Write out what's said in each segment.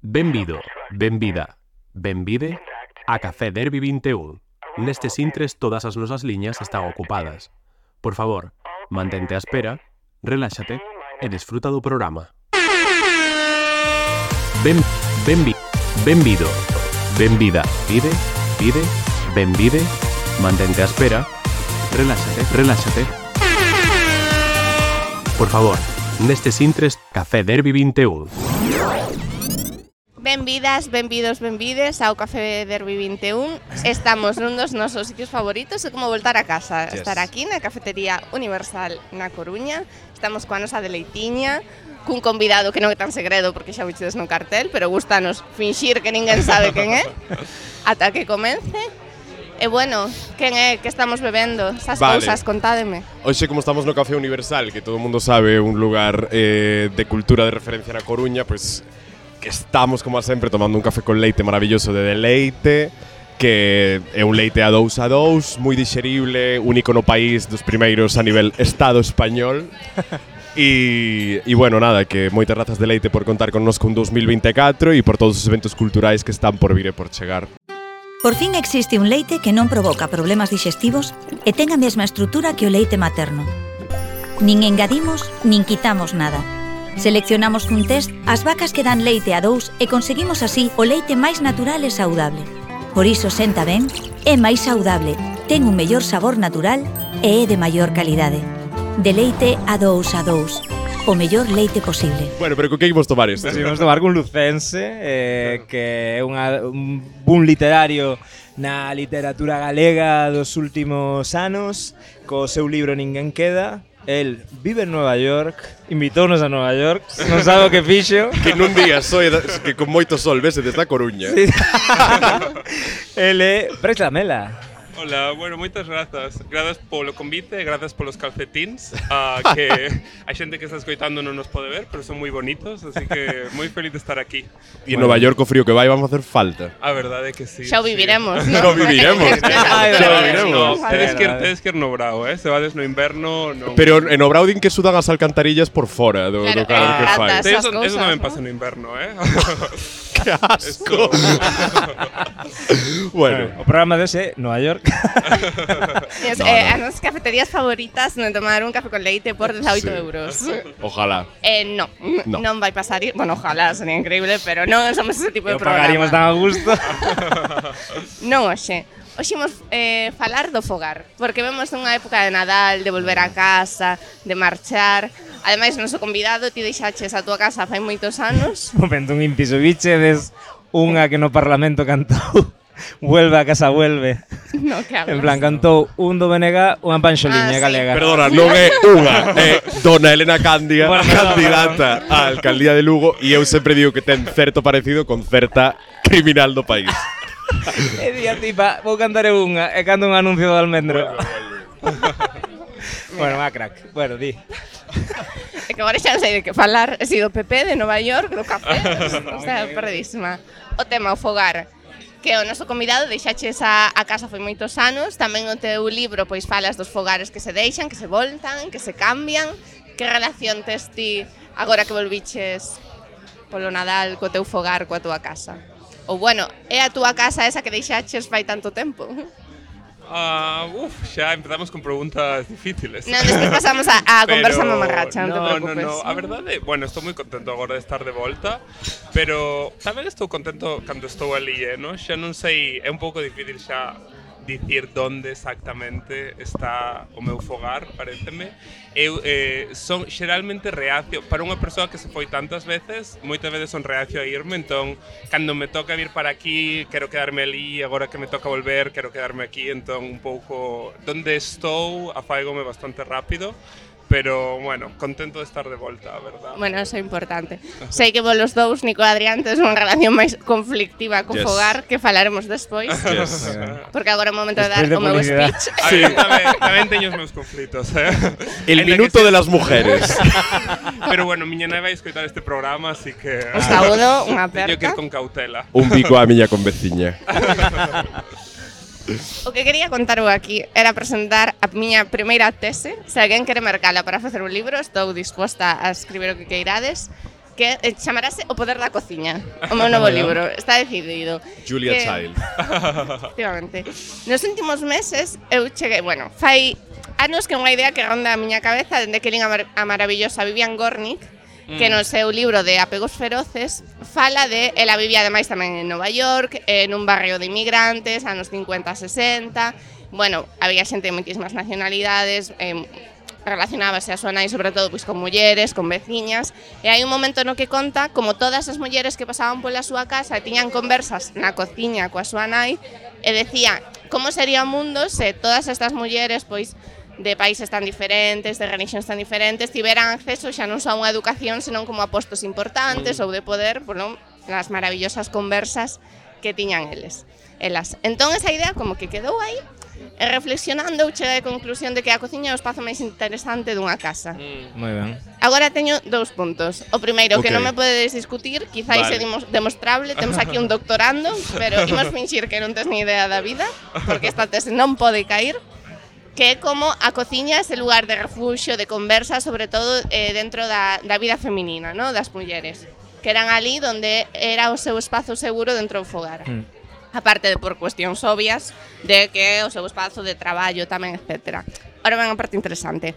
Benvido, benvida, benvide a Café Derby 21. Nestes intres todas as nosas liñas están ocupadas. Por favor, mantente á espera, reláxate e desfruta do programa. Benvido, benvida, pide, benvide, mantente á espera, reláxate. Por favor, nestes intres Café Derby 21. Benvidas, benvides ao Café Derby 21. Estamos nun dos nosos sitios favoritos, é como voltar a casa. Estar aquí na Cafetería Universal na Coruña. Estamos coa nosa deleitiña, cun convidado que non é tan segredo porque xa vistedes no cartel, pero gustanos finxir que ninguén sabe quen é ata que comence. E bueno, quen é que estamos bebendo? Esas cousas, contádeme. Hoxe, como estamos no Café Universal, que todo o mundo sabe, un lugar de cultura de referencia na Coruña, pues que estamos, como sempre, tomando un café con leite maravilloso de Deleite, que é un leite a 2, moi dixerible, único no país, dos primeiros a nivel Estado español. E bueno, nada, que moitas grazas Deleite por contar connosco un 2024 e por todos os eventos culturais que están por vir e por chegar. Por fin existe un leite que non provoca problemas digestivos e ten a mesma estrutura que o leite materno. Nin engadimos, nin quitamos nada. Seleccionamos cun test as vacas que dan leite a 2 e conseguimos así o leite máis natural e saudable. Por iso senta ben, é máis saudable, ten un mellor sabor natural e é de maior calidade. De leite a 2, o mellor leite posible. Bueno, pero con que imos tomar isto? Imos tomar con Lucense, que é un boom literario na literatura galega dos últimos anos, co seu libro Ninguén queda. El vive en Nueva York, invitounos a Nueva York, non sabe o que fixo. Que nun día que con moito sol vese desde a Coruña. Sí. El é Prex Lamela. Hola, bueno, moitas grazas. Grazas polo convite e grazas polos calcetíns, que a xente que está escoitando non nos pode ver, pero son moi bonitos, así que moi feliz de estar aquí. E en Nova York o frío que vai vamos a facer falta. A verdade é que sí. Xa o viviremos, sí. ¿no? Xa o viviremos. Tedes que ir no brao, se vades no inverno non... Pero en Obrao din que sudan as alcantarillas por fora do calor que fai. Eso tamén pasa no inverno, ¡Qué asco! Bueno, o programa dese Nova York. As nosas cafeterías favoritas non tomar un café con leite por 18 euros. Ojalá. Non vai pasar. Bueno, ojalá, sería increíble, pero non somos ese tipo de programa. Pagaríamos tan a gusto. Non, hoxe imos falar do fogar, porque vemos unha época de Nadal, de volver a casa, de marchar. Ademais, o noso convidado, ti deixaches a túa casa fai moitos anos. Momento, un inciso, bichedes unha que no Parlamento cantou Vuelve a casa, vuelve. No, que hablas. En plan, cantou un do BNG, unha panxoliña galega. Perdona, non é unha, é Dona Elena Candia, candidata á alcaldía de Lugo, e eu sempre digo que ten certo parecido con certa criminal do país. E día tipa, vou cantar unha, e canto un anuncio do almendro. Bueno, va crack. Bueno, di. É que agora xa non sei de que falar. He sido PP de Nova York, do café. O sea, perdísima. O tema, o fogar, que o noso convidado deixaches a casa foi moitos anos. Tamén o teu libro pois falas dos fogares que se deixan, que se voltan, que se cambian. Que relación tes ti agora que volviches polo Nadal co teu fogar, coa túa casa? Ou bueno, é a túa casa esa que deixaches fai tanto tempo? Xa empezamos con preguntas difíciles. Non, despois pasamos a conversa mamarracha, non te preocupes. No, a verdade, bueno, estou moi contento agora de estar de volta, pero tamén estou contento cando estou ali, non? Xa non sei, é un pouco difícil xa dicir onde exactamente está o meu fogar, paréceme. Eu son xeralmente reacio, para unha persoa que se foi tantas veces, moitas veces son reacio a irme, entón, cando me toca vir para aquí, quero quedarme ali, agora que me toca volver, quero quedarme aquí, entón, un pouco, donde estou, afáigome bastante rápido, pero, bueno, contento de estar de volta, a verdad. Bueno, eso é importante. Sei que vos los dous, Nico e Adrián, tes unha relación máis conflictiva co fogar, que falaremos despois. Porque agora é o momento de dar o meu speech. Sí, tamén teño os meus conflitos, El minuto de las mujeres. Pero, bueno, miña nai vai escoitar este programa, así que... Os saúdo, unha aperta. Teño que ir con cautela. Un bico a miña conveciña. O que quería contar eu aquí era presentar a miña primeira tese. Se alguén quere mercala para facer un libro, estou disposta a escribir o que queirades. que chamarase O poder da cociña, o meu novo libro, está decidido. Julia Que- Child. Efectivamente. Nos últimos meses eu cheguei, fai anos que unha idea que ronda a miña cabeza dende que lín a maravillosa Vivian Gornick, que no seu libro de Apegos feroces fala de ela vivía ademais tamén en Nova York, nun barrio de inmigrantes, anos 50-60. Bueno, había xente de moitísimas nacionalidades, relacionábase a súa nai sobre todo pois con mulleres, con veciñas, e hai un momento no que conta como todas as mulleres que pasaban pola súa casa e tiñan conversas na cociña coa súa nai e decía como sería o mundo se todas estas mulleres pois de países tan diferentes, de religións tan diferentes, tiveran acceso xa non só a unha educación, senón como a postos importantes ou de poder, bueno, nas maravillosas conversas que tiñan elas. Entón esa idea como que quedou aí, e reflexionando eu cheguei á conclusión de que a cociña é o espazo máis interesante dunha casa. Moi ben. Agora teño 2 puntos. O primeiro, que Ok. non me podedes discutir, quizáis Vale. é demostrable, temos aquí un doctorando, pero imos finxir que non tes ni idea da vida, porque esta tese non pode cair, que é como a cociña é ese lugar de refuxio, de conversa, sobre todo dentro da vida feminina, ¿no? Das mulleres, que eran ali donde era o seu espazo seguro dentro do fogar. Aparte de por cuestións obvias de que o seu espazo de traballo tamén, etc. Ora ven a parte interesante.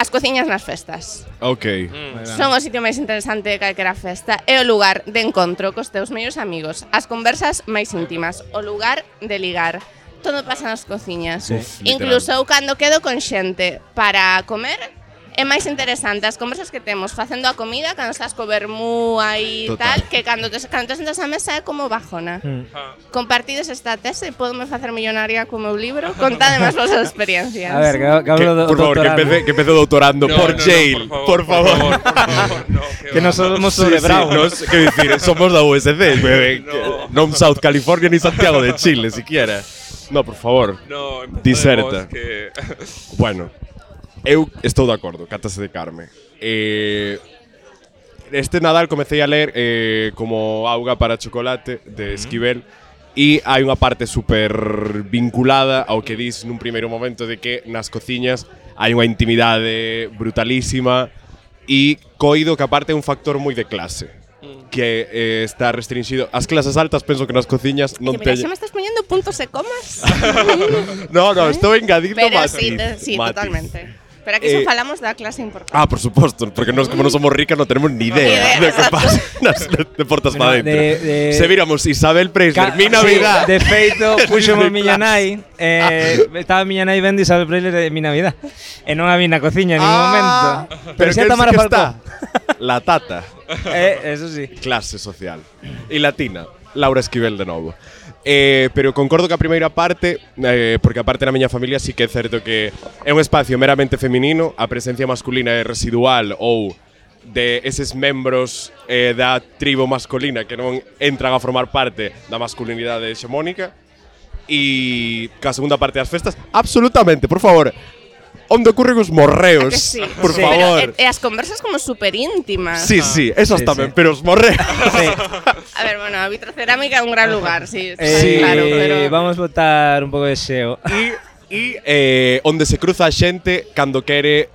As cociñas nas festas. Ok. Son o sitio máis interesante de calquera festa. É o lugar de encontro cos teus mellores amigos, as conversas máis íntimas, o lugar de ligar. Todo pasa nas cociñas. Uf, Incluso eu cando quedo con xente para comer, é máis interesante as conversas que temos facendo a comida cando estás co vermú aí Total. tal, que cando te sentas á mesa é como bajona. Compartides esta tese, podome facer millonaria co meu libro? Contade máis vosas experiencias. A ver, que hablo do Por favor, doutorando. que empece doutorando por Yale. Por favor. no, Que non somos sobre Brown. Quero dicir, somos da USC, non South California ni Santiago de Chile, siquiera. No, por favor. No, Diserta. que... Bueno, eu estou de acordo, cátase de Carme. Este Nadal comecei a ler como Auga para chocolate de Esquivel e hai unha parte super vinculada ao que dis nun primeiro momento de que nas cociñas hai unha intimidade brutalísima e coido que aparte é un factor moi de clase que está restringido. As clases altas penso que nas cociñas non Mira, teñen... xa me estás poñendo puntos e comas. No, estou engadindo Pero matiz. sí, matiz. totalmente. Pero aquí só falamos da clase importante. Ah, por suposto, porque nós como non somos ricas non tenemos ni idea Ni idea, de que exacto. pasa de portas para Bueno, dentro. Se viramos Isabel Preisler, mi Navidad. Sí, de feito, puxemos De miña clase. nai, estaba miña nai vendo Isabel Preisler de mi Navidad. E non a vi na cociña en ningún momento. Pero xa que Tamara sí que Falcó. está. La tata. Eso sí. Clase social. E latina. Laura Esquivel de novo. Pero concordo que a primeira parte, porque a parte na miña familia sí que é certo que é un espacio meramente feminino, a presencia masculina é residual ou de eses membros da tribo masculina que non entran a formar parte da masculinidade hexemónica. E ca segunda parte das festas, absolutamente, por favor, onde ocurren os morreos, Que sí. por Sí. favor. Pero, e as conversas como super íntimas. Sí, esas Sí, tamén, sí. pero os morreos. Sí. A ver, bueno, a vitrocerámica é un gran lugar, sí, Sí. claro, pero Vamos botar un pouco de xeo. E onde se cruza a xente cando quere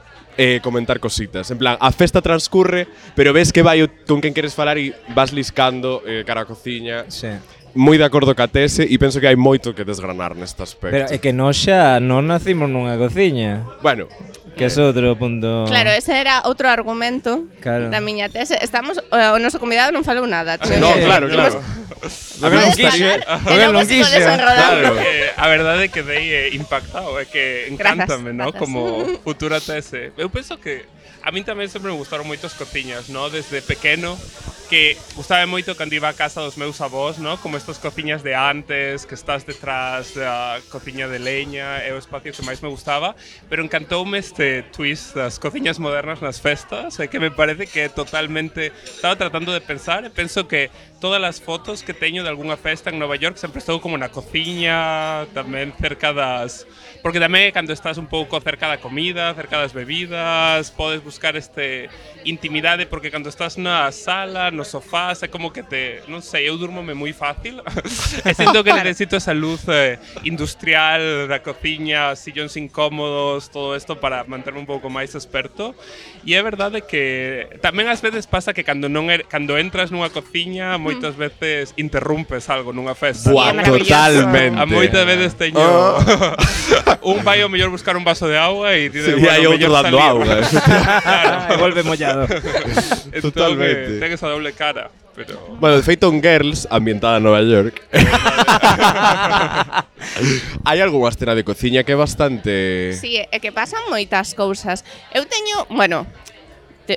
comentar cositas. En plan, a festa transcurre, pero ves que vai con quen queres falar e vas liscando cara a cociña. Sí. Moi de acordo ca tese e penso que hai moito que desgranar neste aspecto. Pero é que nós xa non nacimos nunha cociña, Bueno, que é outro punto. claro, ese era outro argumento Claro. da miña tese. Estamos, o noso convidado non falou nada. no, claro. A ver, non quixo. E logo sigo desenrodando. A verdade é que dei impactado, é que encántame, ¿no? Grazas. Como futura tese. Eu penso que a min tamén sempre me gustaron moito as cociñas, ¿no? Desde pequeno, que gustaba moito cando iba a casa dos meus avós, ¿no? Como estas cociñas de antes, que estás detrás da cociña de leña, é o espacio que máis me gustaba, pero encantoume este twist das cociñas modernas nas festas, que me parece que totalmente estaba tratando de pensar, e penso que todas as fotos que teño de algunha festa en Nova York sempre estou como na cociña, tamén cerca das... Porque tamén cando estás un pouco cerca da comida, cerca das bebidas, podes buscar intimidade, porque cando estás na sala, no sofá, é como que non sei, eu durmome moi fácil. E sinto que necesito esa luz industrial da cociña, sillóns incómodos, todo isto para manterme un pouco máis experto. E é verdade que tamén ás veces pasa que cando entras nunha cociña, moitas veces interrumpes algo nunha festa. Buah, totalmente. A moitas veces teño un vai ao mellor buscar un vaso de agua e sí, hai outro dando auga. Claro, volve mollado. Totalmente. Ten esa doble cara. Pero... Bueno, de feito, en Girls, ambientada en Nova York, hai algunha escena de cociña que é bastante... Sí, é que pasan moitas cousas. Eu teño, bueno,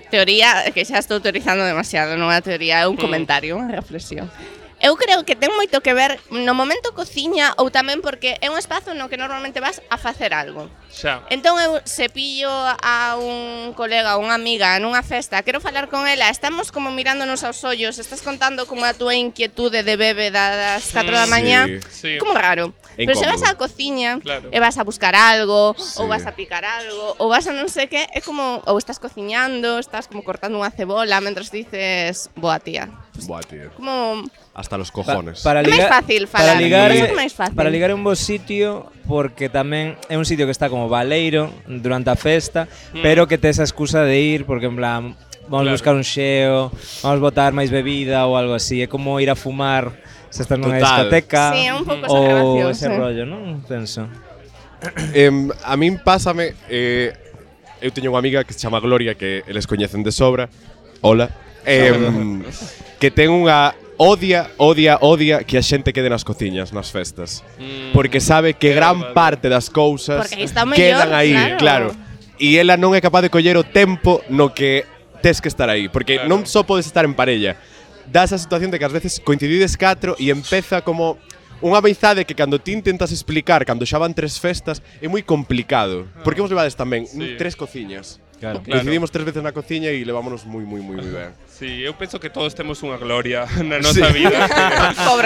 teoría, que xa estou teorizando demasiado, non é teoría, é un comentario, unha reflexión. Eu creo que ten moito que ver no momento cociña ou tamén porque é un espazo no que normalmente vas a facer algo. Xa. Entón eu se pillo a un colega ou unha amiga nunha festa, quero falar con ela, estamos como mirándonos aos ollos, estás contando como a túa inquietude de bebe das 4 da mañá, sí. Como raro. Pero se vas á cociña e vas a buscar algo, ou vas a picar algo, ou vas a non sei que, é como, ou estás cociñando, estás como cortando unha cebola mentras dices, boa tía. Buah, tío. Como... Hasta los cojones. É máis fácil falar, para ligar é un bo sitio porque tamén é un sitio que está como baleiro durante a festa, pero que te esa excusa de ir porque en plan vamos a buscar un xeo, vamos botar máis bebida ou algo así, é como ir a fumar se estás nunha discoteca. Sí, é un pouco esa relación, ou ese rollo, non? Penso. A min pásame, eu teño unha amiga que se chama Gloria, que eles coñecen de sobra. Hola. Que ten unha odia que a xente quede nas cociñas, nas festas. Porque sabe que gran parte das cousas quedan aí, claro. E ela non é capaz de coller o tempo no que tes que estar aí, porque non só podes estar en parella. Dá esa situación de que ás veces coincidides 4 e empeza como unha amizade que cando ti intentas explicar, cando xa van 3 festas, é moi complicado. Porque vos levades tamén 3 cociñas. Claro. Decidimos 3 veces na cociña e levámonos moi ben. Sí, eu penso que todos temos unha gloria na nosa vida.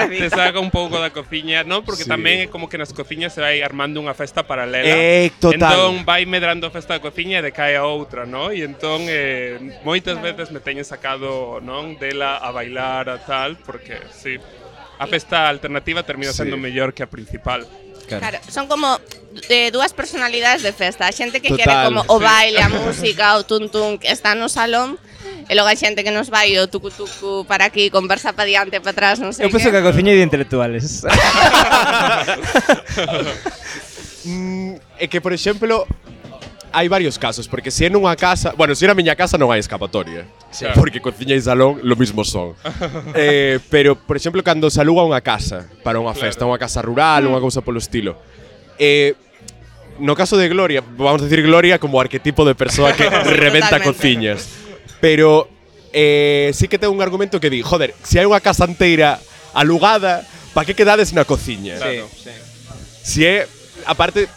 Te saca un pouco da cociña, non? Porque tamén é como que nas cociñas se vai armando unha festa paralela. Total. Entón vai medrando a festa da cociña e decae a outra, non? E entón moitas veces me teñen sacado, non, dela a bailar a tal, porque sí, a festa alternativa termina sendo mellor que a principal. Claro, son como dúas personalidades de festa. A xente que quere como o baile, a música, o tun-tun que está no salón, e logo a xente que nos vai o tucu-tucu para aquí, conversa para diante, para atrás, non sei. Eu penso que a cociña é de intelectuales. É que, por exemplo, hai varios casos, porque se é nunha casa, bueno, se é na miña casa non hai escapatoria, porque cociña e salón lo mismo son. Pero, por exemplo, cando se aluga unha casa para unha festa, unha casa rural, unha cousa polo estilo. No caso de Gloria, vamos a decir Gloria como arquetipo de persoa que reventa cociñas. Pero sí que ten un argumento que di, joder, se hai unha casa inteira alugada, pa que quedades na cociña? Claro, sí. Si é, aparte,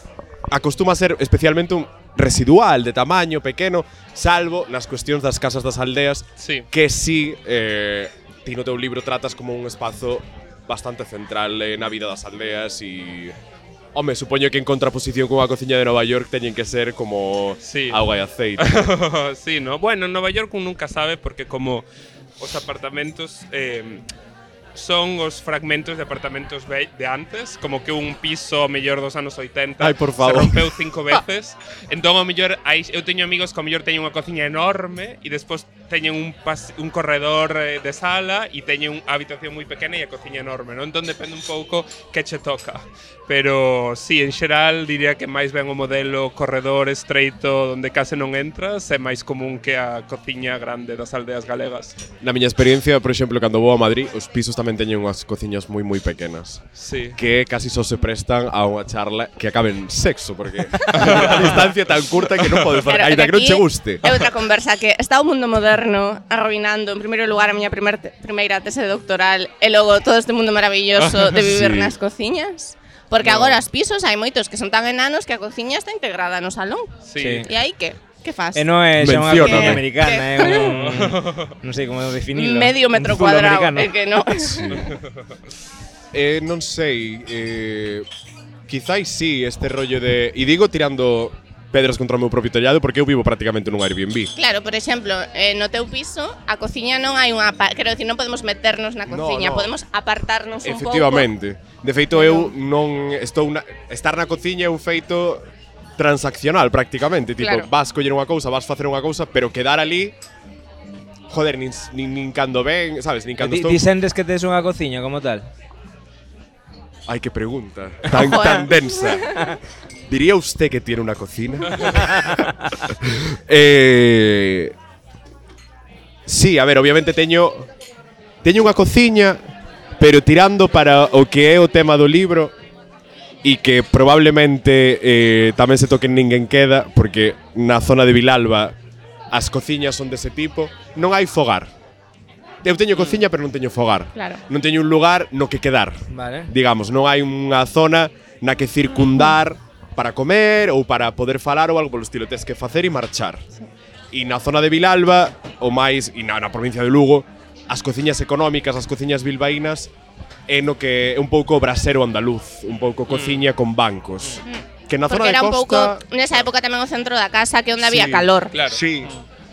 acostuma a ser especialmente un residual, de tamaño pequeno, salvo nas cuestións das casas das aldeas, que si ti no teu libro tratas como un espazo bastante central na vida das aldeas e... Home, supoño que en contraposición con a cociña de Nova York teñen que ser como auga e aceite. Sí, no? Bueno, en Nova York un nunca sabe porque como os apartamentos son os fragmentos de apartamentos de antes, como que un piso mellor dos anos 80 se rompeu 5 veces. Entón, ao mellor, eu teño amigos que ao mellor teñen unha cociña enorme e despois teñen un corredor de sala e teñen unha habitación moi pequena e a cociña enorme, non? Entón, depende un pouco que che toca. Pero, sí, en xeral, diría que máis ben o modelo corredor estreito onde case non entras é máis común que a cociña grande das aldeas galegas. Na miña experiencia, por exemplo, cando vou a Madrid, os pisos tamén teñen unhas cociñas moi pequenas. Sí. Que casi só se prestan a unha charla que acabe en sexo, porque a distancia tan curta que non podes facer, aínda que non che guste. É outra conversa que está o mundo moderno arruinando, en primeiro lugar, a miña primeira tese doctoral e logo todo este mundo maravilloso de vivir nas cociñas. Porque agora os pisos hai moitos que son tan enanos que a cociña está integrada no salón. Sí. E aí que? Que fas? E non é xa unha cociña americana, é un... non sei como definilo. Medio metro cuadrado, é que non. Non sei, quizáis sí, este rollo de... E digo tirando pedras contra o meu propio tellado porque eu vivo prácticamente nun Airbnb. Claro, por exemplo, no teu piso, a cociña non hai unha... Quero dicir, non podemos meternos na cociña, no. podemos apartarnos un pouco. Efectivamente. De feito, eu non estou estar na cociña é un feito transaccional prácticamente, tipo, Claro. vas coller unha cousa, vas facer unha cousa, pero quedar ali joder, nin cando ven, sabes, nin cando estou. Ti sentes que tes unha cociña como tal? Ay, qué pregunta, tan densa. ¿Diría usted que tiene una cocina? Sí, a ver, obviamente teño unha cociña, pero tirando para o que é o tema do libro e que probablemente tamén se toque en Ninguén Queda, porque na zona de Vilalba as cociñas son dese tipo, non hai fogar. Eu teño cociña, pero non teño fogar. Claro. Non teño un lugar no que quedar. Vale. Digamos, non hai unha zona na que circundar para comer ou para poder falar ou algo polo estilo. Tes que facer e marchar. E na zona de Vilalba, ou máis, e na provincia de Lugo, as cociñas económicas, as cociñas bilbaínas, é no que é un pouco brasero andaluz, un pouco cociña con bancos. Que na zona Porque de era un pouco, costa... nesa época tamén o centro da casa, que onde había Sí, calor. Claro. Sí.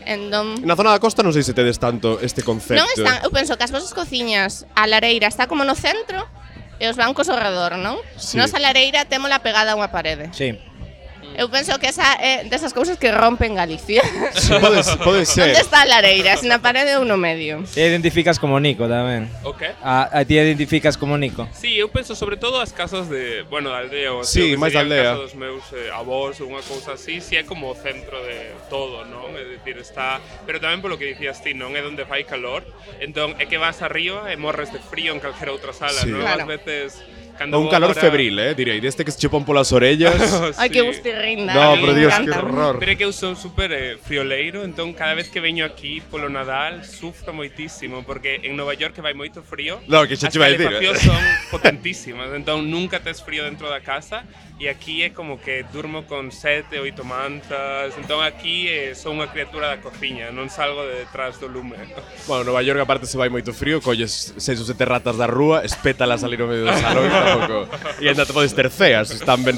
Entón, Na zona da costa non sei se tedes tanto este concepto. non están, eu penso que as vosas cociñas, a lareira está como no centro e os bancos ao redor, non? Sí. Nos a lareira témola pegada a unha parede. Sí. Eu penso que esa é desas cousas que rompen Galicia. Sí, pode ser. Onde está a lareira? Se na parede ou no medio? Te identificas como Nico tamén. O qué? A ti identificas como Nico. Sí, eu penso sobre todo as casas de, bueno, da aldea ou Sí, así, o que máis da sería a aldea. casa dos meus avós ou unha cousa así, si é como o centro de todo, non? É dicir, está, pero tamén polo que dicías ti, non é onde fai calor, entón é que vas arriba e morres de frío en calquera outra sala, Sí. non? Claro. Ás veces cando Un vou calor agora- febril, direi, deste que se che pon polas orellas. Ai, Sí. que gustirrinda. No, a mí por me Dios, que encanta. horror. Pero é que eu son super frioleiro, entón cada vez que veño aquí polo Nadal sufro moitísimo, porque en Nova York que vai moito frío, No, que xa as che vai a dicir, calefaccións son potentísimas, entón nunca tes frío dentro da casa, e aquí é como que durmo con 7, 8 mantas, entón aquí son unha criatura da cociña, non salgo de detrás do lume. Bueno, Nova York aparte se vai moito frío, colles 6 ou 7 ratas da rúa, espétalas salir no medio do salón e tampouco. E ainda te podes ter ceas, están ben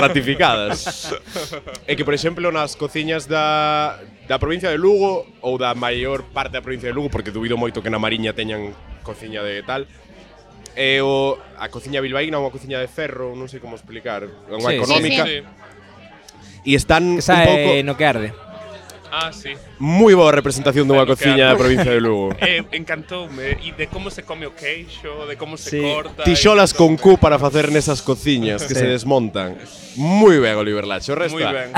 ratificadas. É que, por exemplo, nas cociñas da provincia de Lugo ou da maior parte da provincia de Lugo, porque dubido moito que na Mariña teñan cociña de tal, a cociña bilbaína é unha cociña de ferro, non sei como explicar, unha Sí, económica, sí, e están Esa un pouco é no que arde. Ah, sí. moi boa representación dunha Claro, cociña claro. da provincia de Lugo. Encantoume, e de como se come o queixo, de como se Sí. corta. Tixolas e con todo. Q para facer nesas cociñas que Sí. se desmontan. Moi ben, Oliver Lacho, o resto. Moi ben.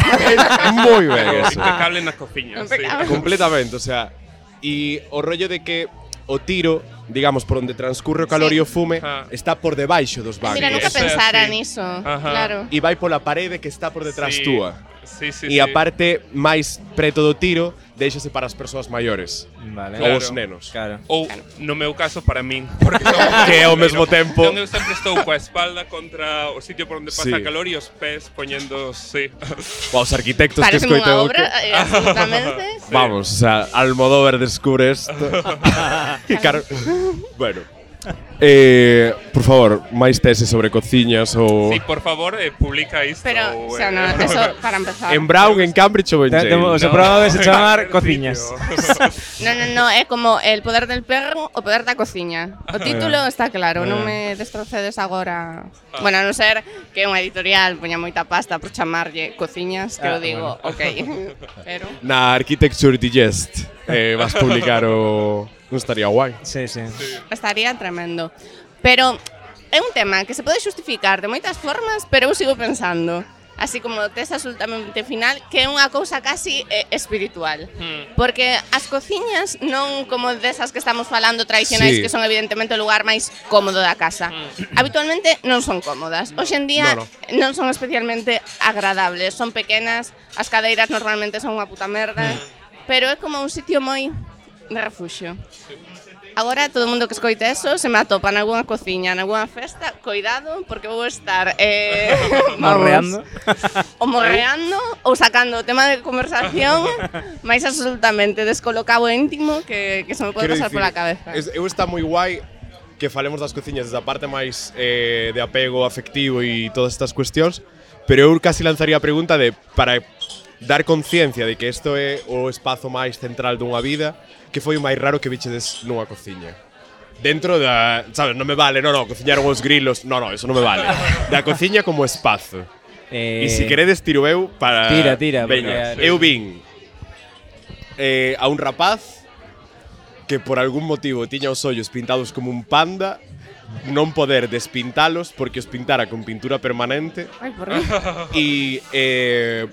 Moi ben eso. Impecable na cociña, sí. Impecable. Completamente, o sea, e o rollo de que o tiro, digamos, por onde transcurre o calor Sí. e o fume, Ah. está por debaixo dos bancos. Mira, nunca Eso é pensara así. niso. Ajá. Claro. E vai pola parede que está por detrás Sí. túa. Sí, sí, E a sí. parte máis preto do tiro, déixase para as persoas maiores. Vale. Ou Claro. os nenos. Claro. Ou, no meu caso, para min. Porque Que ao mesmo tempo- Entón eu sempre estou coa espalda contra o sitio por onde pasa Sí. calor e os pés poñendo, sí. Ou os arquitectos que Parece unha escoiteu obra, que... absolutamente. Vamos, o sea, Almodóvar descubre esto. Bueno. Por favor, máis teses sobre cociñas ou... Sí, por favor, publica isto. Pero, ou, o sea, no, eso para empezar. En Brown, en Cambridge ou en Yale? O seu programa vai se chamar Cociñas. No, é como El poder del perro, o poder da cociña. O título está claro, non me destrocedes agora. Bueno, a non ser que unha editorial poña moita pasta por chamarlle cociñas, que eu digo, ok. Pero Na Architecture Digest vas publicar o... Non estaría guai. Sí, sí. estaría tremendo. Pero é un tema que se pode xustificar de moitas formas, pero eu sigo pensando, así como tes absolutamente final, que é unha cousa casi espiritual. Porque as cociñas non como desas que estamos falando tradicionais, Sí. que son evidentemente o lugar máis cómodo da casa. Habitualmente non son cómodas. Hoxe en día No, non son especialmente agradables, son pequenas, as cadeiras normalmente son unha puta merda, pero é como un sitio moi de refuxio. Agora, todo o mundo que escoite eso se me atopa en algunha cociña, en algunha festa, cuidado, porque vou estar vamos, Morreando. ou morreando ou sacando o tema de conversación máis absolutamente descolocado e íntimo que se me pode Quero pasar dicir, pola cabeza. Eu está moi guai que falemos das cociñas desde a parte máis de apego afectivo e todas estas cuestións, pero eu casi lanzaría a pregunta de para dar conciencia de que isto é o espazo máis central dunha vida, que foi o máis raro que vichedes nunha cociña. Dentro da, sabes, non me vale, no, cociñaron os grilos, no, eso non me vale. Da cociña como espazo. E se queredes tiro eu para… Tira. Veña, eu vin a un rapaz que por algún motivo tiña os ollos pintados como un panda, non poder despintalos porque os pintara con pintura permanente. Ai, por qué? E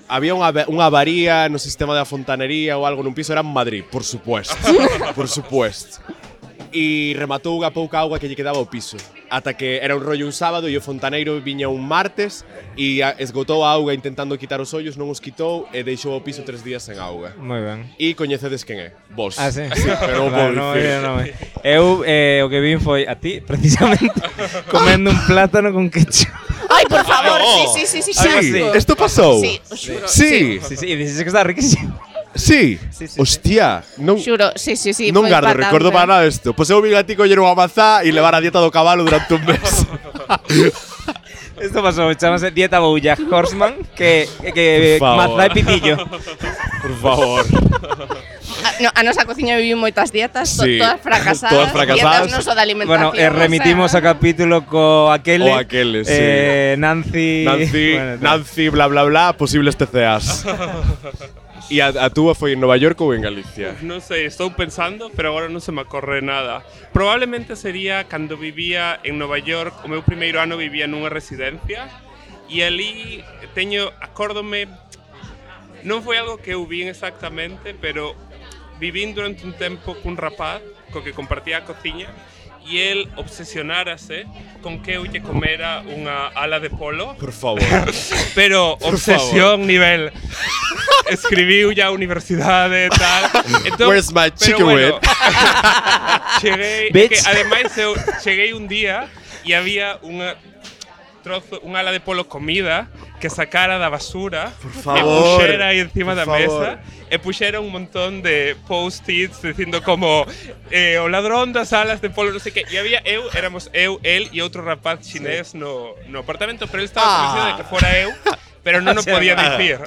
había unha avaría no sistema da fontanería ou algo nun piso, era en Madrid, por supuesto. Por supuesto. E rematou a pouca auga que lle quedaba ao piso. Ata que era un rollo un sábado e o fontaneiro viña un martes e esgotou a auga intentando quitar os ollos, non os quitou e deixou o piso 3 días sen auga. Moi ben. E coñecedes quen é? Vos. Ah, sí? Pero non vou dicir. Eu o que vin foi a ti, precisamente, comendo un plátano con ketchup. Ai, por favor, sí, Sí, asco. isto pasou. Sí, os xuro. Sí. Sí, e dices que está riquísimo. Sí. Hostia, non Xuro, sí, non foi gardo patante. recordo para nada isto. Pois eu vin a ti coller unha mazá e levar a dieta do cabalo durante un mes. Isto pasou, chamase dieta Bojack Horseman, que Por favor. mazá e pitillo. Por favor. A nosa cociña viviu moitas dietas, Sí. todas fracasadas. Todas fracasadas. Dietas non só de alimentación. Bueno, remitimos a capítulo co aquele. O aquele, sí. Nancy, Nancy, bla, bla, bla, posibles TCAs. E a túa foi en Nova York ou en Galicia? Non sei, estou pensando, pero agora non se me ocorre nada. Probablemente sería cando vivía en Nova York, o meu primeiro ano vivía nunha residencia, e ali acórdome, non foi algo que eu vin exactamente, pero vivín durante un tempo cun rapaz co que compartía a cociña, e el obsesionárase con que eu lle comera unha ala de polo. Por favor. Pero Por obsesión nivel escribiu ya a universidade e tal. Entón, Where's my pero chicken bueno, wing? cheguei, Bitch. que ademais eu cheguei un día e había un ala de polo comida que sacara da basura favor, e puxera aí encima por da favor. mesa e puxera un montón de post-its dicindo como o ladrón das alas de polo, non sei que, e había éramos eu, el e outro rapaz chinés no apartamento, pero ele estaba convencido de que fora eu, pero non o podía dicir.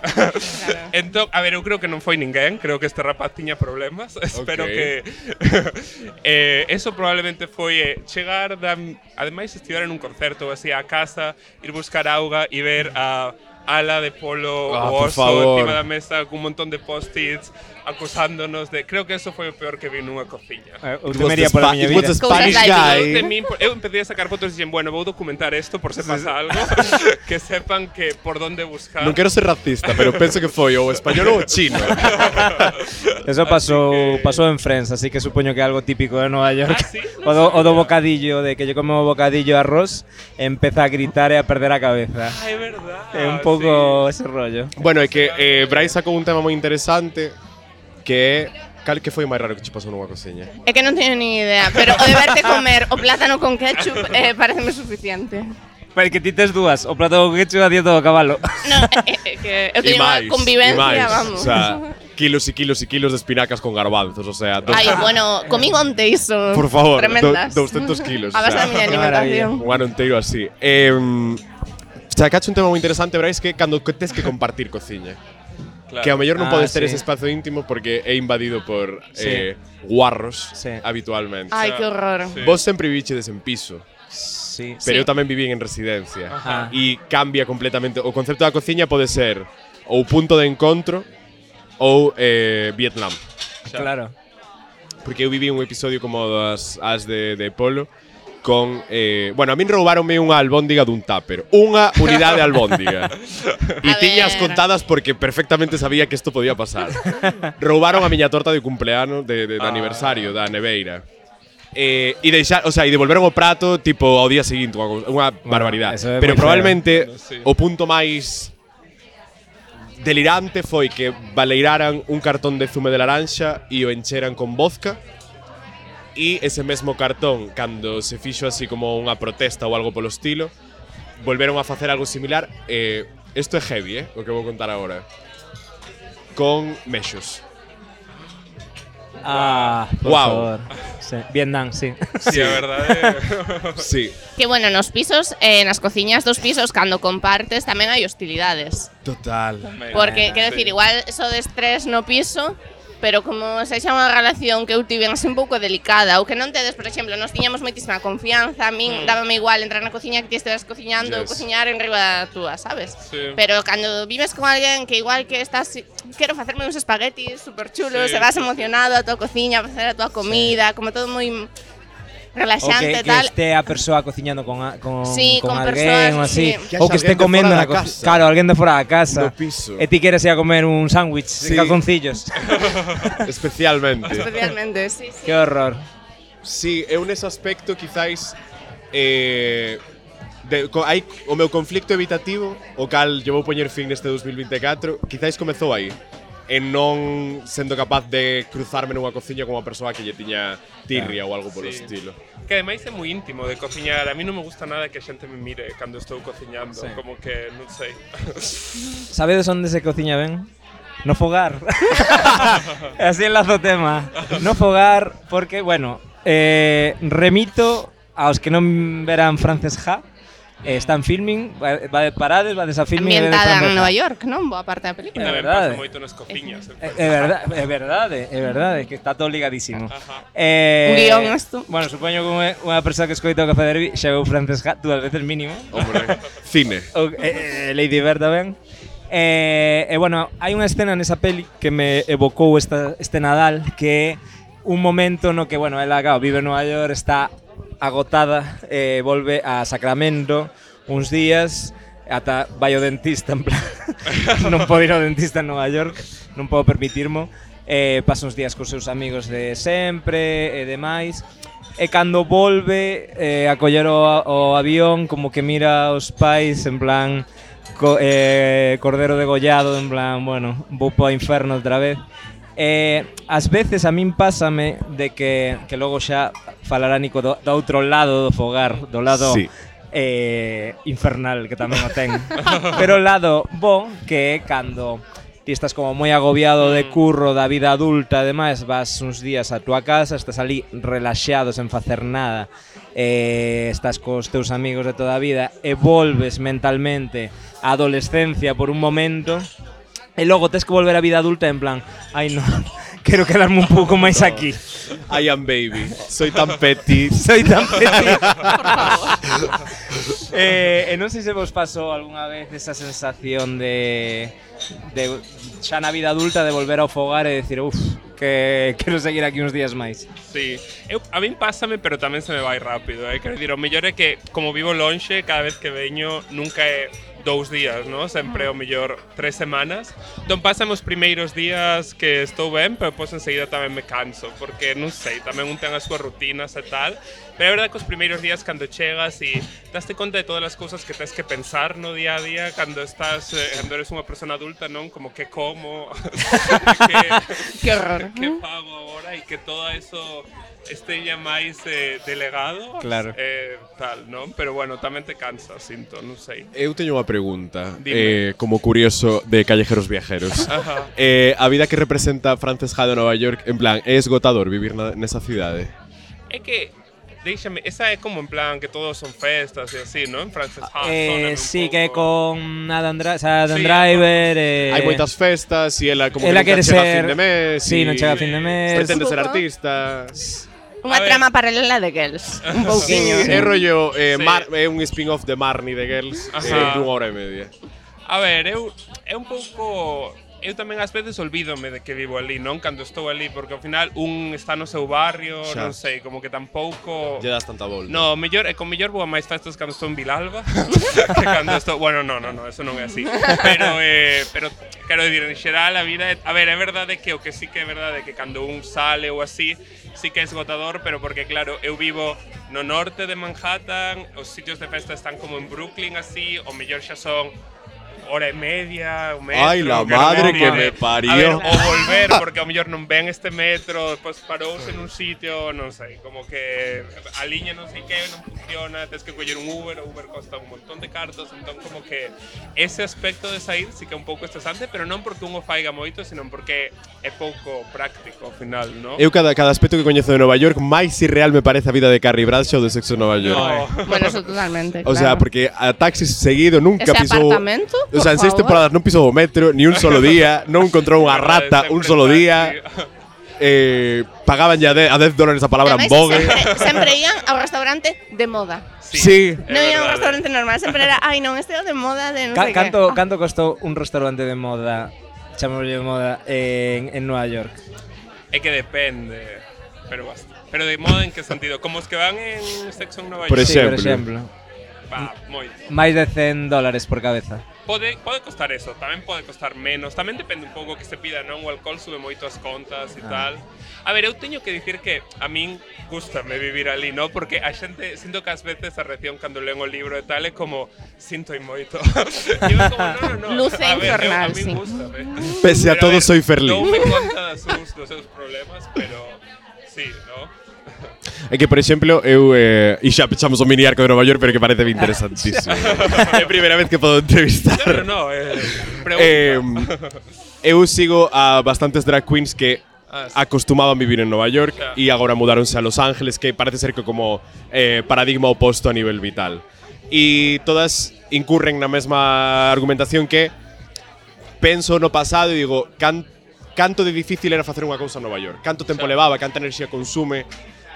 Entón, a ver, eu creo que non foi ninguén, creo que este rapaz tiña problemas, espero que eso probablemente foi chegar ademais estiver en un concerto ou así a casa, ir buscar auga e ver a ala de polo por o oso favor. encima da mesa con un montón de post-its acusándonos de… Creo que eso foi o peor que vi nunha cociña. Eu temería pola miña It was vida. a Spanish Cousas guy. Eu empecé a sacar fotos e dixen, bueno, vou documentar isto por se pasa algo, que sepan que por donde buscar. Non quero ser racista, pero penso que foi o español ou o chino. Eso pasou en Friends, así que supoño que é algo típico de Nova York. Ah, sí? O do bocadillo, de que lle come o bocadillo de arroz, empeza a gritar e a perder a cabeza. Ah, é verdad. É un pouco ese rollo. Bueno, é que Brais sacou un tema moi interesante que é cal que foi o máis raro que che pasou nunha cociña. É que non teño ni idea, pero o de verte comer o plátano con ketchup pareceme suficiente. Pero que ti tes dúas, o plato con ketchup a dieta do cabalo. No, que eu teño unha convivencia, vamos. O sea, kilos e kilos e kilos de espinacas con garbanzos, o sea… Ai, bueno, comí onte iso. Por favor, tremendas. 200 kilos. A base da miña alimentación. Un ano inteiro así. Sacache un tema moi interesante, Brais, que cando tes que compartir cociña. Claro. Que ao mellor non podes ter sí. ese espazo íntimo porque é invadido por Sí. guarros Sí. habitualmente. Ai, que horror. Sí. Vos sempre vivichedes en piso, Sí. pero Sí. eu tamén vivín en residencia. Ajá. E cambia completamente. O concepto da cociña pode ser ou punto de encontro ou Vietnam. Claro. Porque eu viví un episodio como das as de polo con… bueno, a min roubáronme unha albóndiga dun tupper. Unha unidade albóndiga. E A tiñas ver. contadas porque perfectamente sabía que isto podía pasar. Roubaron a miña torta de cumpleano de aniversario da neveira. E o sea, e devolveron o prato tipo ao día seguinte, unha barbaridade. eso é Pero moi feo. probablemente Sí. o punto máis delirante foi que baleiraran un cartón de zume de laranxa e o encheran con vodka. E ese mesmo cartón, cando se fixo así como unha protesta ou algo polo estilo, volveron a facer algo similar. Isto é heavy, o que vou contar agora. Con mexos. Por Guau. favor. Sí. Vietnam, sí. Sí, a verdade. Sí, Que bueno, nos pisos, nas cociñas dos pisos, cando compartes tamén hai hostilidades. total. Porque, quero dicir, igual eso de estrés no piso, pero como se xa unha relación que eu tiven así un pouco delicada, ou que non tedes, por exemplo, nos tiñamos moitísima confianza, a min dábame igual entrar na cociña que ti esteras cociñando ou Yes. cociñar en riba da túa, sabes? Sí. Pero cando vives con alguén que igual que estás, quero facerme uns espaguetis super chulos, Sí, e vas sí, sí. emocionado a tua cociña, a facer a tua comida, como todo moi O relaxante que tal. esté a persoa cociñando con Sí, con alguén persoas, ou así. sí. Que Ou que haxa esté alguén de comendo fora na da cociña. casa. Claro, alguén de fora da casa. No piso. E ti queres ir a comer un sándwich Sí. en calzoncillos. Especialmente. Especialmente, sí, sí. Que horror. Sí, eu nese aspecto quizáis hai o meu conflicto evitativo, o cal yo vou poñer fin neste 2024, quizáis comezou aí. E non sendo capaz de cruzarme nunha cociña con unha persoa que lle tiña tirria ou algo polo Sí. estilo. Que ademais é moi íntimo de cociñar. A mí non me gusta nada que a xente me mire cando estou cociñando. Sí. Como que, non sei. Sabedes onde se cociña ben? No fogar. Así enlazo o tema. No fogar, porque, bueno, remito aos que non verán Frances Ha. Está en filming, va de parades, va de esa filming. Ambientada en Nova York, non? Boa parte da película. Tamén verdade. pasa moito nas cociñas. É verdade, que está todo ligadísimo. Ajá. Un guión isto. Bueno, supoño que unha persoa que escoita o Café Derby xa veu Frances Ha dúas veces mínimo. Hombre, cine. O, Lady Bird tamén. Bueno, hai unha escena nesa peli que me evocou este Nadal, que é un momento no que, bueno, ela, claro, vive en Nova York, está agotada, volve a Sacramento uns días, ata vai ao dentista, en plan, non podo ir ao dentista en Nova York, non podo permitirmo, pasa uns días cos seus amigos de sempre e demais, e cando volve a coller o avión, como que mira aos pais, en plan, cordero degollado, en plan, bueno, vou para o inferno outra vez. Ás veces a min pásame de que logo xa falará Nico do outro lado do fogar, do lado Sí. infernal que tamén o ten. Pero o lado bo que é cando ti estás como moi agobiado de curro, da vida adulta, ademais vas uns días a túa casa, estás ali relaxado sen facer nada, estás cos teus amigos de toda a vida e volves mentalmente á adolescencia por un momento. E logo tes que volver á vida adulta en plan, ai non, quero quedarme un pouco máis aquí. I am baby. Soy tan petit. Soy tan petit. Non sei se vos pasou algunha vez esa sensación de xa na vida adulta de volver ao fogar e decir, que quero seguir aquí uns días máis. Sí, a min pásame, pero tamén se me vai rápido, Quero dicir, o mellor é que, como vivo lonxe, cada vez que veño, nunca é 2 días, ¿no? Sempre o mellor 3 semanas. Entón pásame os primeiros días que estou ben, pero pois enseguida tamén me canso, porque non sei, tamén un ten as súas rutinas e tal. Pero é verdade que os primeiros días cando chegas e daste conta de todas as cousas que tens que pensar no día a día cando estás, cando eres unha persona adulta, non? Como que como, Que horror. que fago agora e que todo eso esteña máis delegado. Claro. Tal, non? Pero bueno, tamén te cansa, sinto, non sei. Eu teño unha pregunta, Dime. como curioso de Callejeros Viajeros. Ajá. A vida que representa Frances Ha de Nova York, en plan, é esgotador vivir nesa cidade? É que déixame, esa é como en plan que todos son festas e así, non? En Frances Ha, sóname un Sí, pouco. que con Adam Sí, Driver. Hai moitas festas e ela como ela que quere nunca chega a ser- fin de mes. Sí, non e chega a fin de mes. Pretende Un ser pouco. artista. Unha A ver. trama paralela de Girls, un Sí, pouquiño. é rollo, Sí. é un spin-off de Marnie de Girls, Ajá. dunha hora e media. A ver, é un pouco... Eu tamén ás veces olvídome de que vivo ali, non? Cando estou ali, porque ao final un está no seu barrio, Xa. non sei, como que tampouco... Lle das tanta volta. No, mellor, con mellor vou a máis festas cando estou en Vilalba que cando estou... Bueno, no, eso non é así. Pero quero dicir, en xeral, a vida... A ver, é verdade que o que sí que é verdade que cando un sale ou así, sí que é esgotador, pero porque, claro, eu vivo no norte de Manhattan, os sitios de festa están como en Brooklyn, así, o mellor xa son hora e media, un metro. Ai, la que non madre que vale. me parió. A ver, o volver, porque ao mellor non ven este metro, despois parouse nun sitio, non sei, como que a liña non sei que, non funciona, tens que coller un Uber, o Uber costa un montón de cartos, entón como que ese aspecto de sair sí que é un pouco estresante, pero non porque un o faiga moito, sino porque é pouco práctico ao final, non? Eu cada aspecto que coñezo de Nova York máis irreal me parece a vida de Carrie Bradshaw de Sexo en Nova York. No. Bueno, eso totalmente, O sea, porque a Taxis seguido nunca Ese pisou... apartamento, O sea, en por 6 favor. temporadas non pisou o metro ni un solo día, non encontrou unha rata un solo día. Pagaban ya a $10 a palabra en Ademais, Vogue. sempre ian ao restaurante de moda. Sí. Non ian ao restaurante normal, sempre era, ai non, este é o de moda de non sei que. Canto costou un restaurante de moda, chamémoslle de moda, en Nova York? É que depende, pero basta. Pero de moda en que sentido? Como os que van en Sexo en Nova York? Por Sí, por exemplo. exemplo. Va, moito. Máis de $100 por cabeza. Pode costar eso, tamén pode costar menos. Tamén depende un pouco que se pida, non? O alcohol sube moito as contas e tal. A ver, eu teño que dicir que a min gustame vivir ali, non? Porque a xente, sinto que ás veces a reacción cando leen o libro e tal é como, sinto moito. E eu como, no. Luce A ver, infernal, a min sí. gustame. Pese a Pero, todo, ver, soy Ferlín. Non me conta dos seus problemas, pero sí, non? É que, por exemplo, eu e xa pechamos o mini arco de Nova York, pero que parece interesantísimo. É a primeira vez que podo entrevistar. Pero no, pregunta. Eu sigo a bastantes drag queens que Ah, sí. acostumaban vivir en Nova York Claro. e agora mudaronse a Los Ángeles, que parece ser que como paradigma oposto a nivel vital. E todas incurren na mesma argumentación que penso no pasado e digo, canto de difícil era facer unha cousa en Nova York, canto tempo levaba, canta enerxía consume.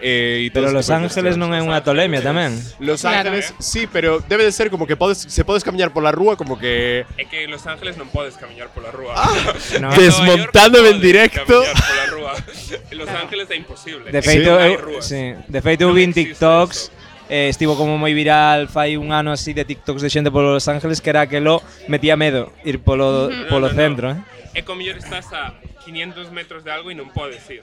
Pero Los Ángeles non é unha tolemia tamén. Los Claro. Ángeles, sí, pero debe de ser como que se podes camiñar pola rúa como que É que en Los Ángeles non podes camiñar pola rúa. No. En Nova York Desmontándome en podes directo. camiñar pola rúa. En Los Ángeles é imposible. De feito, Non hai eu, rúas. sí, de feito eu Non vin existe TikToks, eso. estivo como moi viral fai un ano así de TikToks de xente polo Los Ángeles que era que lo metía medo ir polo No. centro, É como mellor estás a 500 metros de algo e non podes ir.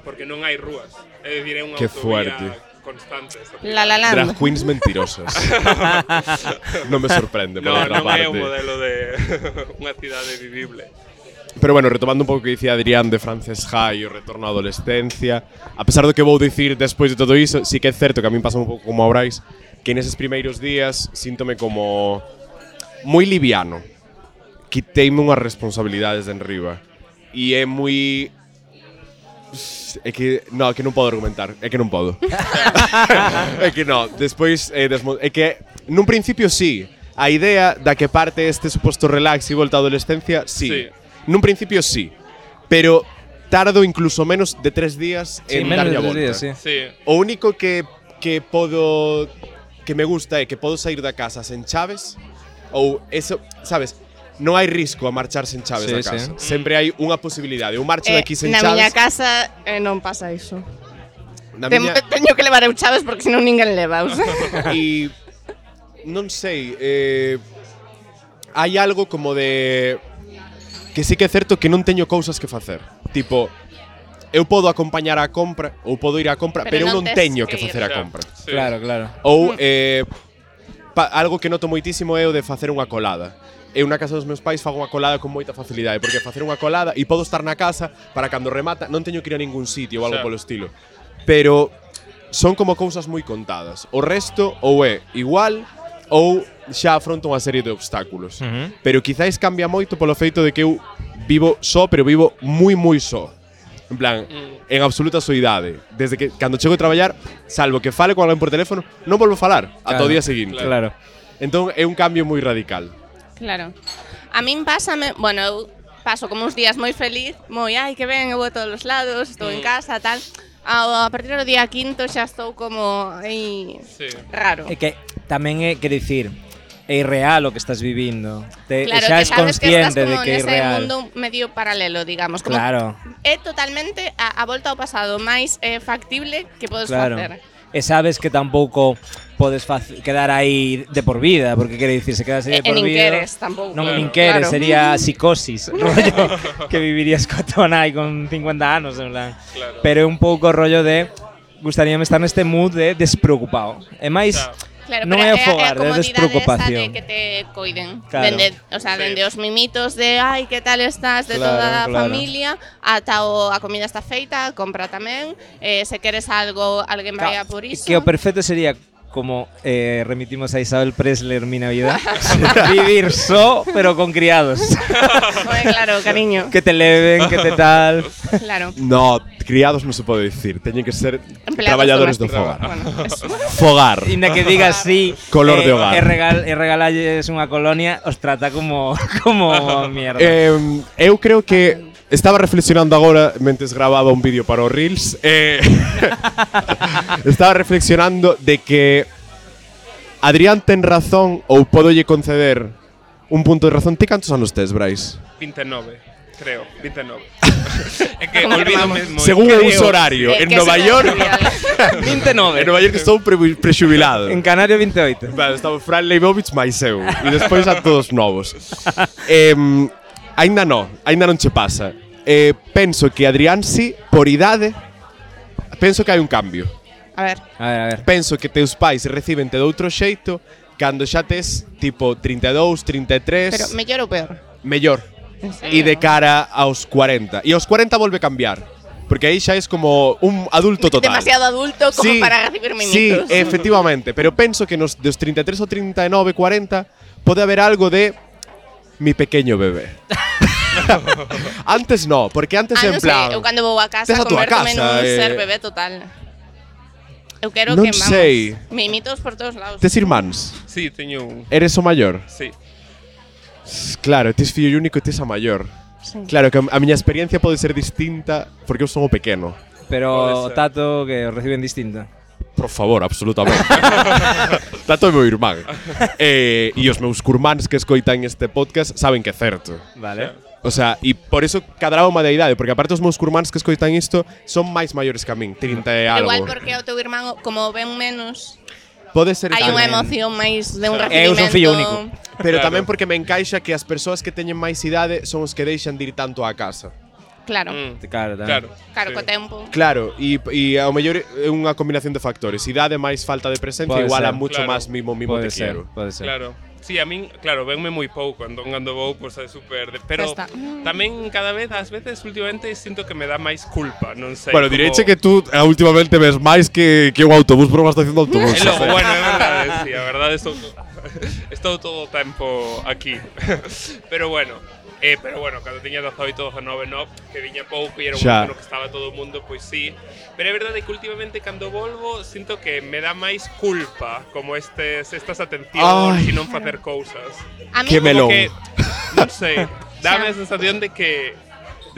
Porque non hai rúas. É dicir, é unha Qué autovía fuerte. constante. esa La La Land. drag queens mentirosas. Non me sorprende, por No, outra non é un parte. modelo de unha cidade vivible. Pero bueno, retomando un pouco o que dicía Adrián de Frances Ha e o retorno á adolescencia, a pesar do que vou dicir despois de todo iso, sí que é certo que a min pasa un pouco como a Brais, que neses primeiros días síntome como moi liviano. Quiteime unhas responsabilidades de enriba. E é moi... É que non podo argumentar, é que non podo. É que non, despois é que nun principio sí, a idea da que parte este suposto relax e volta á adolescencia, sí. Sí. Nun principio sí, pero tardo incluso menos de 3 días Sí, en menos darlle de a 3 volta. días, sí. Sí. O único que podo que me gusta é que podo sair da casa sen chaves ou eso, sabes? Non hai risco a marchar sen chaves Sí, da casa. sí. Sempre hai unha posibilidade. Eu marcho de aquí sen na chaves. miña casa non pasa iso. Na miña, Teño que levar eu chaves porque senón ninguén leva. e non sei, hai algo como de que sí que é certo que non teño cousas que facer. Tipo, eu podo acompañar á compra ou podo ir á compra, pero eu non tes teño que que ir. facer a Xa, compra. sí. Claro, claro. Ou algo que noto moitísimo é o de facer unha colada. Eu na casa dos meus pais fago unha colada con moita facilidade, porque facer unha colada e podo estar na casa para cando remata non teño que ir a ningún sitio ou algo Xa. polo estilo. Pero son como cousas moi contadas. O resto ou é igual ou xa afronto unha serie de obstáculos. Pero quizáis cambia moito polo feito de que eu vivo só, pero vivo moi só. En plan, en absoluta soidade. Desde que cando chego a traballar, salvo que fale con alguén por teléfono, non volvo a falar ata o día seguinte. Claro. Entón é un cambio moi radical. Claro. A min pásame, bueno, eu paso como uns días moi feliz, moi, ai, que ben, eu vou a todos os lados, estou en casa, tal. A partir do día quinto xa estou como aí Sí. raro. É que tamén é, quero dicir, é irreal o que estás vivindo. Claro, xa que és sabes que estás consciente de como que é nese irreal. mundo medio paralelo, digamos. Como Claro, é totalmente a volta ao pasado máis factible que podes claro. facer. E sabes que tampouco podes quedar aí de por vida, porque quero dicir, se quedas aí de E por nin vida, queres tampouco. non Claro. nin queres, Claro. sería psicosis, rollo que vivirías co tonai con 50 anos, en plan. Claro. Pero é un pouco rollo de gustaríame estar neste mood de despreocupado. E máis, Claro, non pero é o fogar, é a comodidade despreocupación. esa de que te coiden. Claro. Dende, o sea, Sí. dende os mimitos de ai, que tal estás, de Claro, toda a claro. familia, ata a comida está feita, compra tamén, se queres algo, alguén vai a por iso. Que o perfecto sería como remitimos a Isabel Presley en mi Navidad, vivir só, pero con criados. Hombre, claro, cariño. Que te leven, que te tal. Claro. No, criados non se pode dicir. Teñen que ser Empleados traballadores do domésticos. fogar. Bueno, eso. Fogar. Inda que digas sí, Color de hogar. e regalalles unha colonia, os trata como mierda. Eu creo que estaba reflexionando agora mentes grababa un vídeo para os Reels. Estaba reflexionando de que Adrián ten razón ou podolle conceder un punto de razón. Ti cantos anos tes, Brais? 29, creo, 29. É que olvídome moi. Según o uso horario, en Que Nova se me York, olvida. 29. en Nova York estou prexubilado. En Canario 28. Vale, estaba Fran Leibovitz máis eu. E despois a todos novos. Ainda non che pasa. Penso que Adrián si, por idade, penso que hai un cambio. A ver. A ver. Penso que teus pais recíbente de outro xeito cando xa tes tipo 32, 33, Pero mellor ou peor? mellor. E de cara aos 40. E aos 40 volve a cambiar. Porque aí xa es como un adulto total. Demasiado adulto como para recibir Sí, mimitos. efectivamente. Pero penso que dos 33 ou 39, 40 pode haber algo de mi pequeño bebé. Antes no, porque antes en non plan... sei, eu cando vou a casa tes a túa convérteme casa, nun ser bebé total. Eu quero Non que, vamos, sei. mimitos por todos lados. Tes irmáns? Sí, teño un. Eres o maior? Sí. Claro, tes fillo único e tes a maior. Sí. Claro, que a miña experiencia pode ser distinta porque eu son o pequeno. Pero Pode o ser. tato que os reciben distinta. Por favor, absolutamente. Tato é meu irmán. E os meus curmáns que escoitan este podcast saben que é certo. Vale. O sea, e por eso cadraba unha de idade, porque aparte os meus curmáns que escoitan isto son máis maiores que a min, 30 e algo. Igual porque o teu irmán, como ven menos, Pode ser hai tamén. unha emoción máis de un Claro. recibimento. Eu son fillo único. Pero Claro. tamén porque me encaixa que as persoas que teñen máis idade son os que deixan de ir tanto á casa. Claro. Claro, tamén. Claro. Claro, sí. co tempo. Claro, e ao mellor é unha combinación de factores. Idade máis falta de presencia Pode igual a ser, mucho claro. máis mimo Pode te ser, quiero. pode ser. Claro. Sí, a min, claro, venme moi pouco cando vou, pois é super, pero Está. tamén cada vez, ás veces últimamente sinto que me dá máis culpa, non sei. Bueno, como- direiche que tú últimamente ves máis que un autobús por unha estación de autobús. É logo, bueno, é verdade, sí, a verdade estou todo o tempo aquí. Pero bueno, cando tiña 18, 19, no, que viña pouco e era un Xa. momento no que estaba todo o mundo, pois sí. Pero é verdade que últimamente cando volvo sinto que me dá máis culpa como estas atencións Ai. e non facer cousas. A mí, Que Como melón. que, non sei, dame a sensación de que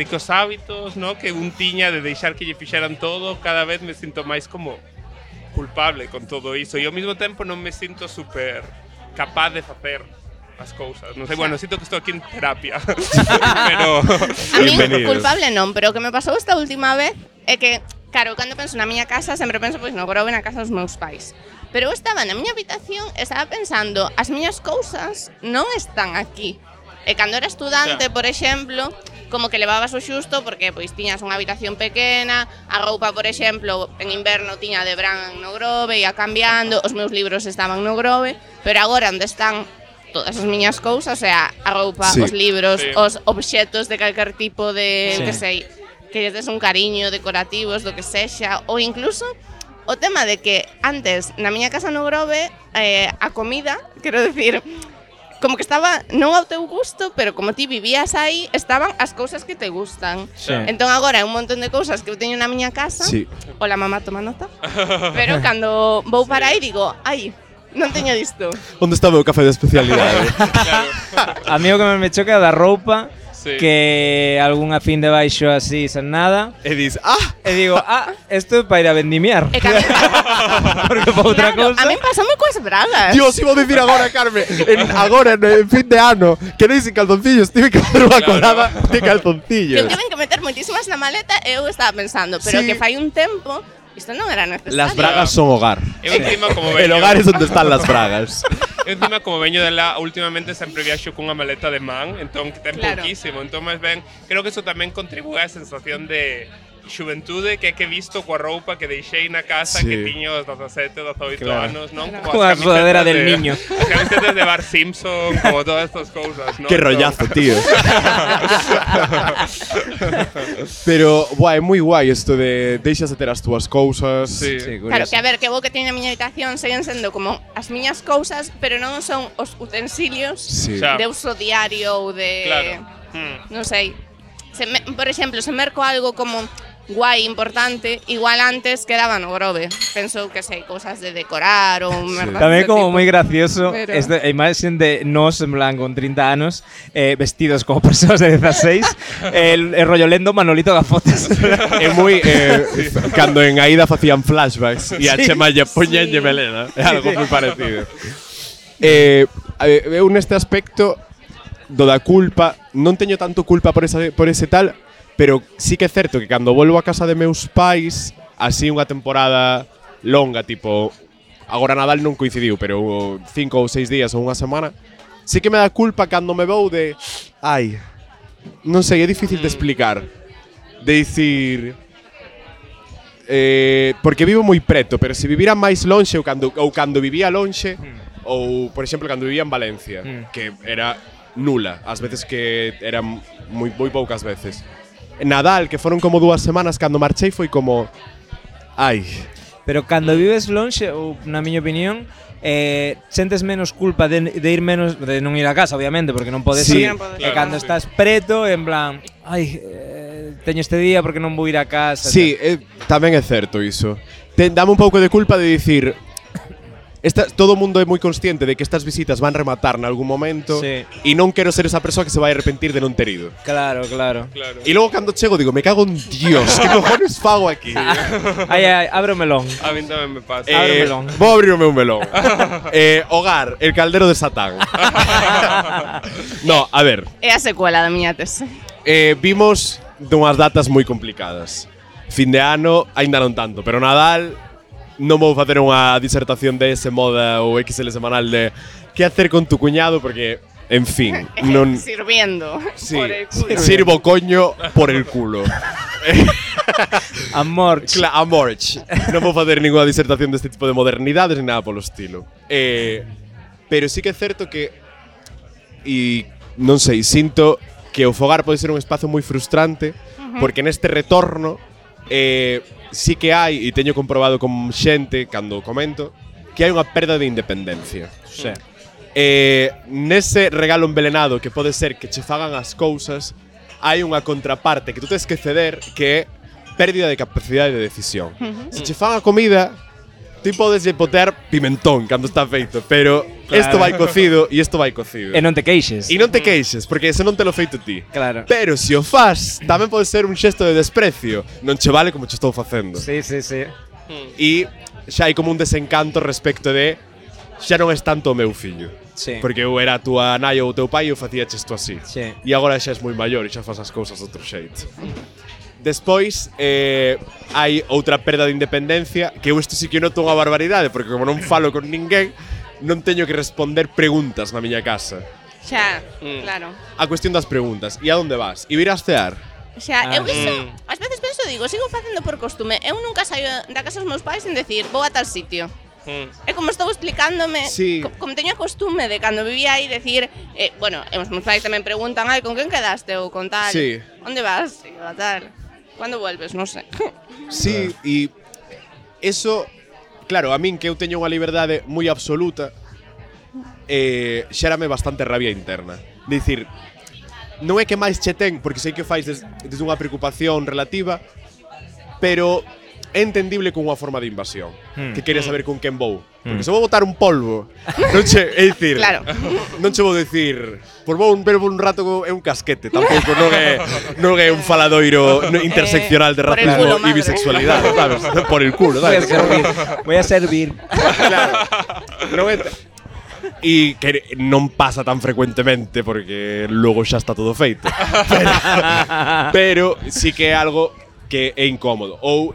os hábitos, no, que un tiña de deixar que lle fixeran todo, cada vez me sinto máis como culpable con todo iso e ao mesmo tempo non me sinto super capaz de facer as cousas. Non sei, bueno, sinto que estou aquí en terapia. Pero a mí Bienvenidos. culpable non, pero o que me pasou esta última vez é que, claro, cando penso na miña casa, sempre penso pois no grove na casa dos meus pais. Pero eu estaba na miña habitación e estaba pensando, as miñas cousas non están aquí. E cando era estudante, por exemplo, como que levabas o xusto porque pois tiñas unha habitación pequena, a roupa, por exemplo, en inverno tiña de verán no grove, ia cambiando, os meus libros estaban no grove, pero agora onde están todas as miñas cousas, o sea, a roupa, Sí. os libros, Sí. os obxetos de calquer tipo de, Sí. que sei, que lles des un cariño, decorativos, do que sexa, ou incluso o tema de que antes na miña casa no grove a comida, quero decir, como que estaba non ao teu gusto, pero como ti vivías aí, estaban as cousas que te gustan. Sí. Entón agora hai un montón de cousas que eu teño na miña casa. Sí. Hola mamá, toma nota. Pero cando vou para aí digo, ai, non teño disto. Onde está o meu café de especialidade? A mí o que me choca é da roupa, Sí. que algunha fin de baixo así sen nada, E dis, e digo, isto é para ir a vendimiar. E que a mí, Porque para outra claro, cousa. a mí pasame coas bragas. Dios, iba a decir agora, Carmen, agora en fin de ano, que non sin calzoncillos, tive que facer unha colada de Que eu calzoncillos. tiven que meter moitísimas na maleta e eu estaba pensando, pero Sí. que fai un tempo, isto non era necesario. Las bragas son hogar. eu encima como El veño, hogar es donde están las bragas. eu encima como veño de lá, últimamente sempre viaxo cunha maleta de man, entón que ten Claro. pouquísimo, entón máis ben, creo que eso tamén contribúe á sensación de xuventude que he visto coa roupa que deixei na casa Sí. que tiño os 17, 18 Claro. anos, non? Claro. Como as Coa sudadera camisetas del niño. As camisetas de Bart Simpson, como todas estas cousas, non? Qué rollazo, tío. Pero, é moi guai isto de deixas de ter as túas cousas. Sí. Claro, que a ver, que vou que teño na miña habitación seguen sendo como as miñas cousas, pero non son os utensilios Sí. Xa. de uso diario ou de... Claro. Non sei. Por exemplo, se merco algo como guai, importante, igual antes quedaba no grove. Penso que sei, cousas de decorar ou merdas Tamén deste como tipo. moi gracioso Pero- esta imaxen de nos en plan con 30 anos vestidos como persoas de 16 el rollo lendo Manolito Gafotas. É moi cando en Aida facían flashbacks e a Sí. Chema lle poñenlle Sí. melena. É algo sí. moi parecido. Eu neste aspecto do da culpa non teño tanto culpa por ese tal, pero sí que é certo que cando volvo a casa de meus pais, así unha temporada longa, tipo agora Nadal non coincidiu, pero 5 ou 6 días ou unha semana, sí que me dá culpa cando me vou de non sei, é difícil de explicar. De dicir porque vivo moi preto, pero se vivira máis lonxe ou cando vivía lonxe, ou por exemplo cando vivía en Valencia, que era nula, as veces que eran moi poucas veces. Nadal, que foron como 2 semanas, cando marchei foi como Pero cando vives lonxe, ou na miña opinión, sentes menos culpa de ir menos de non ir a casa, obviamente, porque non podes Sí, ir. non podes E ir. cando estás preto, en plan, teño este día porque non vou ir a casa. Sí, tamén é certo iso. Dame un pouco de culpa de dicir todo o mundo é moi consciente de que estas visitas van rematar en algún momento Sí. e non quero ser esa persoa que se vai arrepentir de non ter ido. Claro, claro. Claro. E logo cando chego digo, me cago en Dios, que cojones fago aquí? Ai, abre o melón. A mí tamén me pasa. Abre o melón. Vou abrir o meu melón. Hogar, el caldero de Satán. No, a ver, É a secuela da miña tese. vimos dunhas datas moi complicadas. Fin de ano, aínda non tanto, pero Nadal non vou facer unha disertación de ese moda ou XL semanal de que hacer con tu cuñado porque, en fin, non Sirviendo. sí, Por el culo. sirvo coño por el culo. Amor. Amorch. Non vou facer ninguna disertación deste tipo de modernidades ni nada polo estilo. Pero sí que é certo que non sei, sinto que o fogar pode ser un espazo moi frustrante porque neste retorno sí que hai, e teño comprobado con xente cando comento, que hai unha perda de independencia. Sí. Nese regalo envelenado que pode ser que che fagan as cousas, hai unha contraparte que tú tens que ceder que é pérdida de capacidade de decisión. Se che fan a comida, ti podes lle botar pimentón cando está feito, pero isto vai cocido e isto vai cocido. E non te queixes. E non te queixes, porque ese non te lo feito ti. Claro. Pero se o fas, tamén pode ser un xesto de desprecio. Non che vale como che estou facendo. Sí, sí, sí. E xa hai como un desencanto respecto de xa non és tanto o meu fillo. Sí. Porque eu era a túa nai ou o teu pai e eu facía isto así. Sí. E agora xa és moi maior e xa fas as cousas de outro xeito. Despois, hai outra perda de independencia, que eu isto sí que noto unha barbaridade, porque como non falo con ninguén, non teño que responder preguntas na miña casa. Xa, claro. A cuestión das preguntas. E a onde vas? E vir a cear? Xa, eu iso, ás veces penso, digo, sigo facendo por costume. Eu nunca saio da casa dos meus pais sen decir, vou a tal sitio. É como estou explicándome, Sí. como teño a costume de cando vivía aí decir, bueno, os meus pais tamén preguntan, ai, con quen quedaste ou con tal? Sí. Onde vas? E eu, a tal. Cando vuelves? Non sei. Sí, e eso, claro, a min que eu teño unha liberdade moi absoluta, xérame bastante rabia interna. Dicir, non é que máis che ten, porque sei que fais desde unha preocupación relativa, pero é entendible con unha forma de invasión, que queres saber con quen vou. Porque se vou botar un polvo, non che, é dicir, Claro. non che vou dicir, por vou ver un rato é un casquete, tampouco non é un faladoiro interseccional de por el racismo culo, e madre. bisexualidade, sabes? Por el culo, Voy a sabes? servir. Voy a servir. Claro. Non é e que non pasa tan frecuentemente porque logo xa está todo feito. Pero sí que é algo que é incómodo. Ou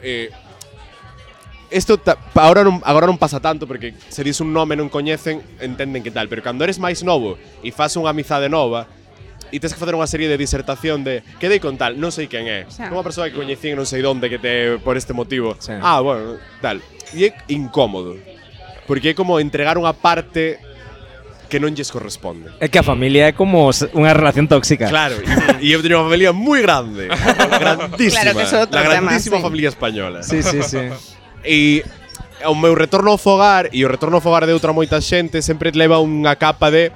isto agora non pasa tanto porque se dis un nome non coñecen, entenden que tal, pero cando eres máis novo e fas unha amizade nova, e tens que facer unha serie de disertación de quedei con tal, non sei quen é. Unha persoa que coñecín non sei onde que te por este motivo. Bueno, tal. E é incómodo. Porque é como entregar unha parte que non lles corresponde. É que a familia é como unha relación tóxica. Claro, e eu teño unha familia moi grande. Grandísima. Claro que é outro la tema, grandísima sí. familia española. Sí. E o meu retorno ao fogar e o retorno ao fogar de outra moita xente sempre leva unha capa de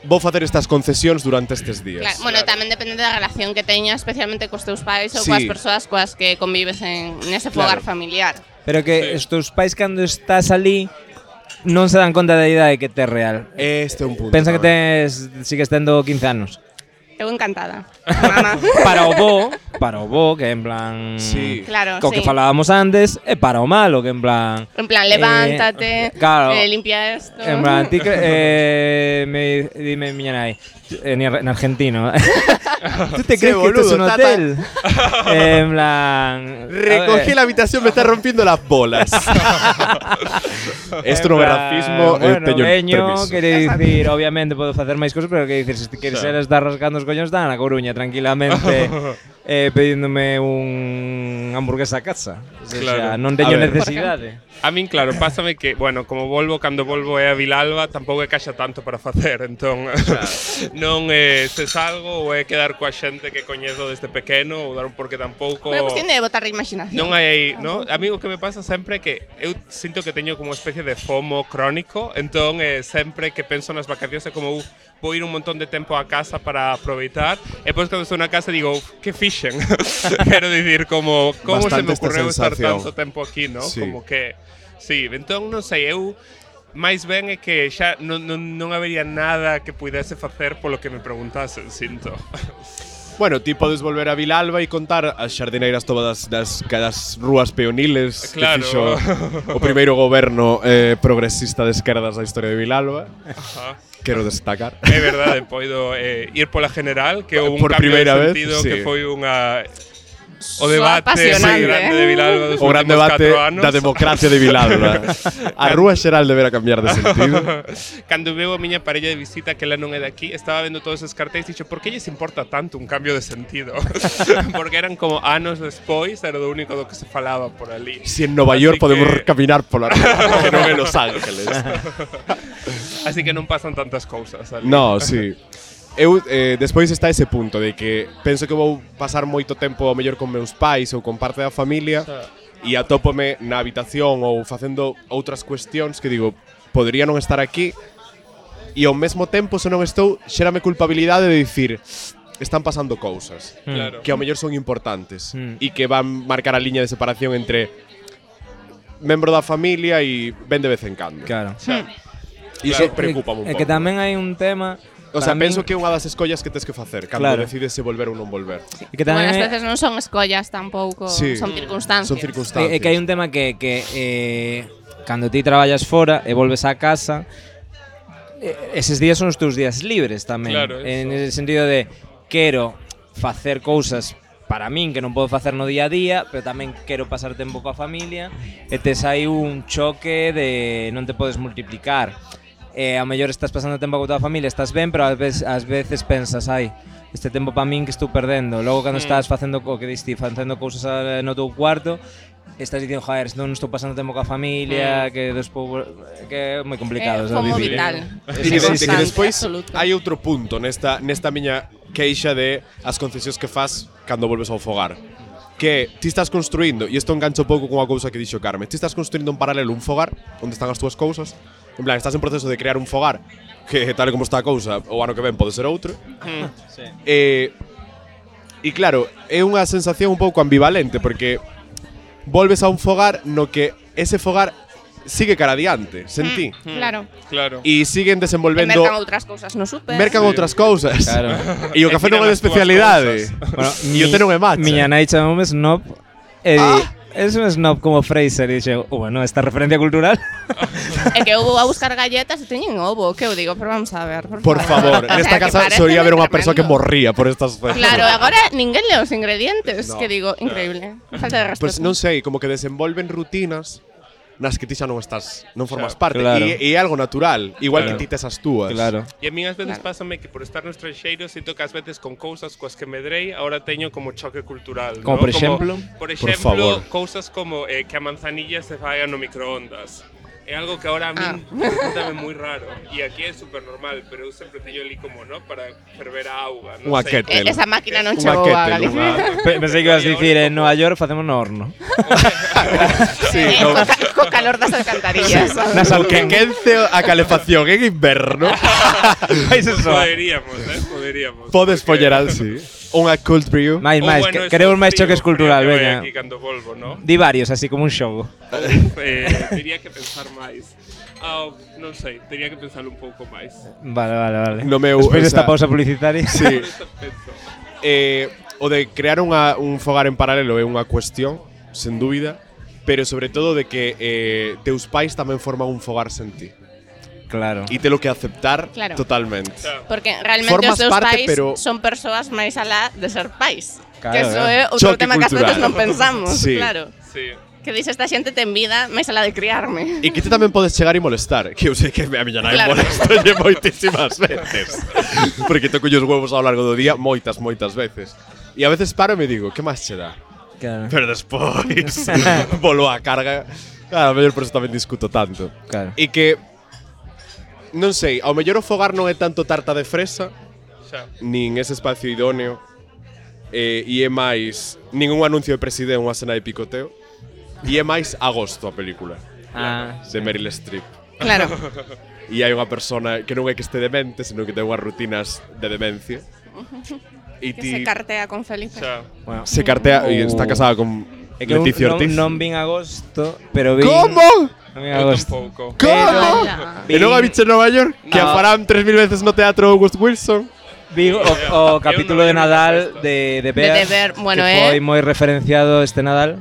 vou facer estas concesións durante estes días. Claro, bueno, tamén depende da relación que teñas, especialmente cos teus pais ou Sí. coas persoas coas que convives nese fogar Claro. familiar. Pero que os teus pais cando estás ali non se dan conta da idade que tes real. Este é un punto. Pensa que tamén. sigues tendo 15 anos. Eu encantada. Mamá. Para o bo, que en plan Sí. Claro, co que sí. falábamos antes, e para o malo, que en plan En plan, levántate, claro. limpia esto. En plan, ti dime miña nai, en argentino. ¿Tú te crees que esto es un boludo, hotel? En plan, Recogí la habitación, me está rompiendo las bolas. Esto non é racismo, bueno, teño veño, permiso. quere dicir, obviamente podo facer máis cosas, pero que dicir, se ti queres estar rascando os coños, está na Coruña tranquilamente pedíndome un hamburguesa a casa. O sea, Claro. non teño A ver. necesidade. A min, claro, pásame que, bueno, como cando volvo é a Vilalba, tampouco é caixa tanto para facer, entón non se salgo ou é quedar coa xente que coñezo desde pequeno ou dar porque tampouco Unha cuestión de botar a imaginación. non hai, no? A mí o que me pasa sempre é que eu sinto que teño como unha especie de FOMO crónico, entón sempre que penso nas vacacións é como vou ir un montón de tempo a casa para aproveitar e depois cando estou na casa digo, que fixen? Quero dicir, como se Bastante me esta ocorreu estar sensación. tanto tempo aquí, no? Sí. Como que sí, entón non sei, eu máis ben é que xa non habería nada que pudese facer polo que me preguntasen, sinto. Bueno, ti podes volver a Vilalba e contar as xardineiras todas das rúas peoniles Claro. que fixo o primeiro goberno progresista de esquerdas da historia de Vilalba. Ajá. Quero destacar. É verdade, poido ir pola general, que houve un Por cambio de primeira vez, sentido sí. que foi unha o Soa debate apasionante, grande de Vilalba dos O gran últimos debate 4 anos. da democracia de Vilalba. A rúa xeral deberá cambiar de sentido. Cando veo a miña parella de visita que ela non é de aquí, estaba vendo todos esos cartéis e dixo, por que lles importa tanto un cambio de sentido? Porque eran como anos despois, era do único do que se falaba por ali. Si en Nova Así York podemos que- caminar pola rúa, que non en Los Ángeles. Así que non pasan tantas cousas ali. No, sí. Eu, despois está ese punto de que penso que vou pasar moito tempo ao mellor con meus pais ou con parte da familia e atópome na habitación ou facendo outras cuestións que digo, podría non estar aquí e ao mesmo tempo, se non estou, xérame culpabilidade de dicir están pasando cousas Claro. que ao mellor son importantes e que van marcar a liña de separación entre membro da familia e ven de vez en cando. Claro. E iso preocupa un É pouco. que tamén hai un tema. O sea, para min- penso que é unha das escollas que tes que facer cando Claro. decides se volver ou non volver. é que tamén Bueno, as é- veces non son escollas tampouco, Sí. son circunstancias. Son circunstancias. É que hai un tema que cando ti traballas fora e volves á casa, eses días son os teus días libres tamén. Claro, En eso. ese sentido de quero facer cousas para min que non podo facer no día a día, pero tamén quero pasar tempo coa familia e tes aí un choque de non te podes multiplicar. Ao mellor estás pasando tempo coa tua familia, estás ben, pero ás veces pensas, ai, este tempo para min que estou perdendo. Logo cando estás facendo o que diste, facendo cousas no teu cuarto, estás dicindo, joder, non estou pasando tempo coa familia, que despois que é moi complicado, É como vivir. vital. E de que Constante, despois absoluto. hai outro punto nesta miña queixa de as concesións que fas cando volves ao fogar. Que ti estás construindo, e isto engancho pouco con unha cousa que dixo Carmen, ti estás construindo en paralelo un fogar onde están as túas cousas. En plan, estás en proceso de crear un fogar que tal e como está a cousa, o ano que ven pode ser outro. E claro, é unha sensación un pouco ambivalente porque volves a un fogar no que ese fogar sigue cara adiante, sentí. Claro. Claro. E siguen E desenvolvendo mercan outras cousas no super. mercan outras cousas. Claro. E o café non é de especialidade. Bueno, E o té non é matcha. Miña nai chamoume snob e es un snob como Fraser e dixo, bueno, esta referencia cultural. É que eu vou a buscar galletas e teñen ovo, que eu digo, pero vamos a ver, Por favor, O sea, nesta que casa paréceme solía haber unha persoa que tremendo. morría por estas cosas. Claro, agora ninguén lee os ingredientes, No. que digo, increíble. Falta de respeto. Pues non sei, como que desenvolven rutinas nas que ti xa non formas parte. Claro. E é algo natural, igual Claro. que ti tes as túas. Claro. E a min ás veces pásame que por estar no estranxeiro sinto que ás veces con cousas coas que medrei ahora teño como choque cultural, Como ¿no? por exemplo? Por favor. exemplo, cousas como que a manzanilla se fai no microondas. É algo que ahora a min resultame moi raro. E aquí é super normal, pero eu sempre teño ali como, ¿no? Para ferver a auga. Non Unha sei. kettle. Esa máquina non Unha chegou a kettle, Galicia. Pensei que ibas a dicir en Nova York facemos no horno. Sí, no. Co calor das alcantarillas. O que quence a calefacción en inverno. Vais eso. Poderíamos. Podes poñer así. Unha cold brew. Máis, Ou, que eso queremos máis frío, choques cultural, frío que vai veña. aquí cando volvo, ¿no? Di varios, así como un xogo. Tería que pensar máis. Non sei, tería que pensar un pouco máis. Vale. No meu, Despois o desta sea, pausa publicitaria. Sí. Penso. O de crear un fogar en paralelo é unha cuestión, sen dúbida, pero sobre todo de que teus pais tamén forman un fogar sen ti. Claro. E telo que aceptar Claro. totalmente. Porque realmente Formas os seus parte, pais pero- son persoas máis alá de ser pais. Claro, que eso claro. é outro Choque tema que ás veces cultural. non pensamos, Sí. claro. Sí. Que dice esta xente ten vida máis alá de criarme. E que ti tamén podes chegar e molestar. Que eu sei que a miña nai Claro. molestolle moitísimas veces. Porque toco os huevos ao largo do día moitas veces. E a veces paro e me digo, que máis che dá? Claro. Pero despois volvo a carga. Claro, a mellor por eso tamén discuto tanto. Claro. E que non sei, ao mellor o fogar non é tanto tarta de fresa, Xa. nin ese espacio idóneo. E é máis ningún anuncio de presidente, unha cena de picoteo. E é máis Agosto a película de Meryl Streep. Claro. E hai unha persona que non é que este demente, senón que ten unhas rutinas de demencia. E Que se cartea con Felipe. Xa. Bueno, se cartea e está casada con é que Leticia non, Ortiz. non vin agosto, pero vin... Como? Non vin Eu agosto. tampouco. Como? Ala. E non a biche en Nova York? Que a No. farán 3000 veces no teatro August Wilson? Vi o capítulo de Nadal de Bear, De Bear, bueno, que foi moi referenciado este Nadal.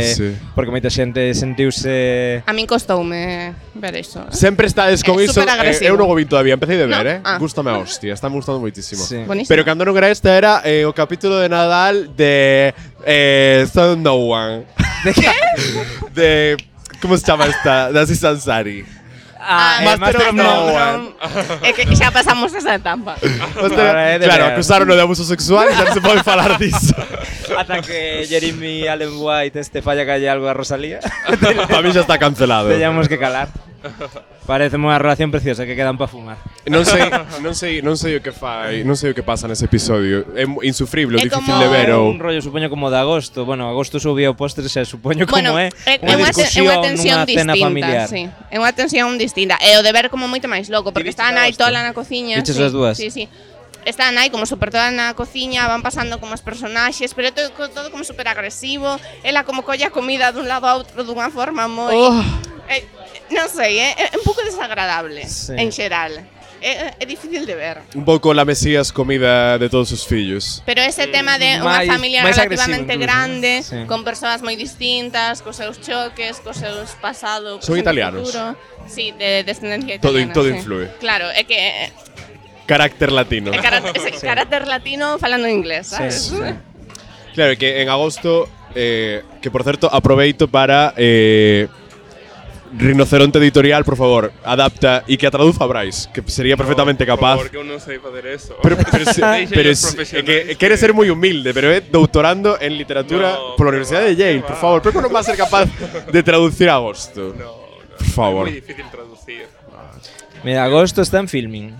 Sí. Porque moita xente sentiuse... A min costoume ver iso. Sempre estades con É iso. superagresivo. Eu non o vin todavía, empecé de ver, No? Ah. Gústame a hostia, está me gustando moitísimo. Sí. Buenísimo. Pero cando non era este era o capítulo de Nadal de Son No One. De que? De como se chama esta? De Aziz Ansari. Master of No None. É que xa pasamos esa etapa. Vale, de Claro, ver. acusaron de abuso sexual e xa non se pode falar disso. Ata que Jeremy Allen White falla calle algo a Rosalía. Para mí xa está cancelado. Teñamos que calar. Parece unha relación preciosa que quedan para fumar. Non sei o que fai, non sei o que pasa nese episodio. É insufrible, É difícil como de ver ou Un rollo supoño como de agosto. Bueno, agosto subía o postre, xa supoño como Bueno, é unha unha discusión tensión nunha cena distinta, familiar. sí. É unha tensión distinta. E o de ver como moito máis loco, porque viches está a nai Agosto? tola na cociña. Viches sí, as dúas? Sí, sí. Está a nai como super toda na cociña, van pasando como os personaxes, pero todo como super agresivo. Ela como colla a comida dun lado a outro dunha forma moi... non sei, é un pouco desagradable, Sí. en xeral. É difícil de ver. un pouco la Mesías comida de todos os fillos. Pero ese tema de unha máis- familia máis relativamente agresivo incluso, grande, sí. con persoas moi distintas, cos seus choques, cos seus pasado, Son presente, italianos. futuro. Sí, de descendencia Todo- italiana. todo sí. influe. Claro, é que Carácter latino. é carácter latino falando inglés, sabes? Sí. Claro, que en agosto, que por certo aproveito para Rinoceronte Editorial, por favor, adapta e que a traduza a Brais, que sería perfectamente capaz. Porque eu non sei facer eso. Pero Deixen os que profesionais. quere ser moi humilde, pero é doutorando en literatura No, pola que Universidade de va, Yale, que por va. favor. Pero non va a ser capaz de traducir a agosto. No, Por favor. É moi difícil traducir. Mira, agosto está en filming.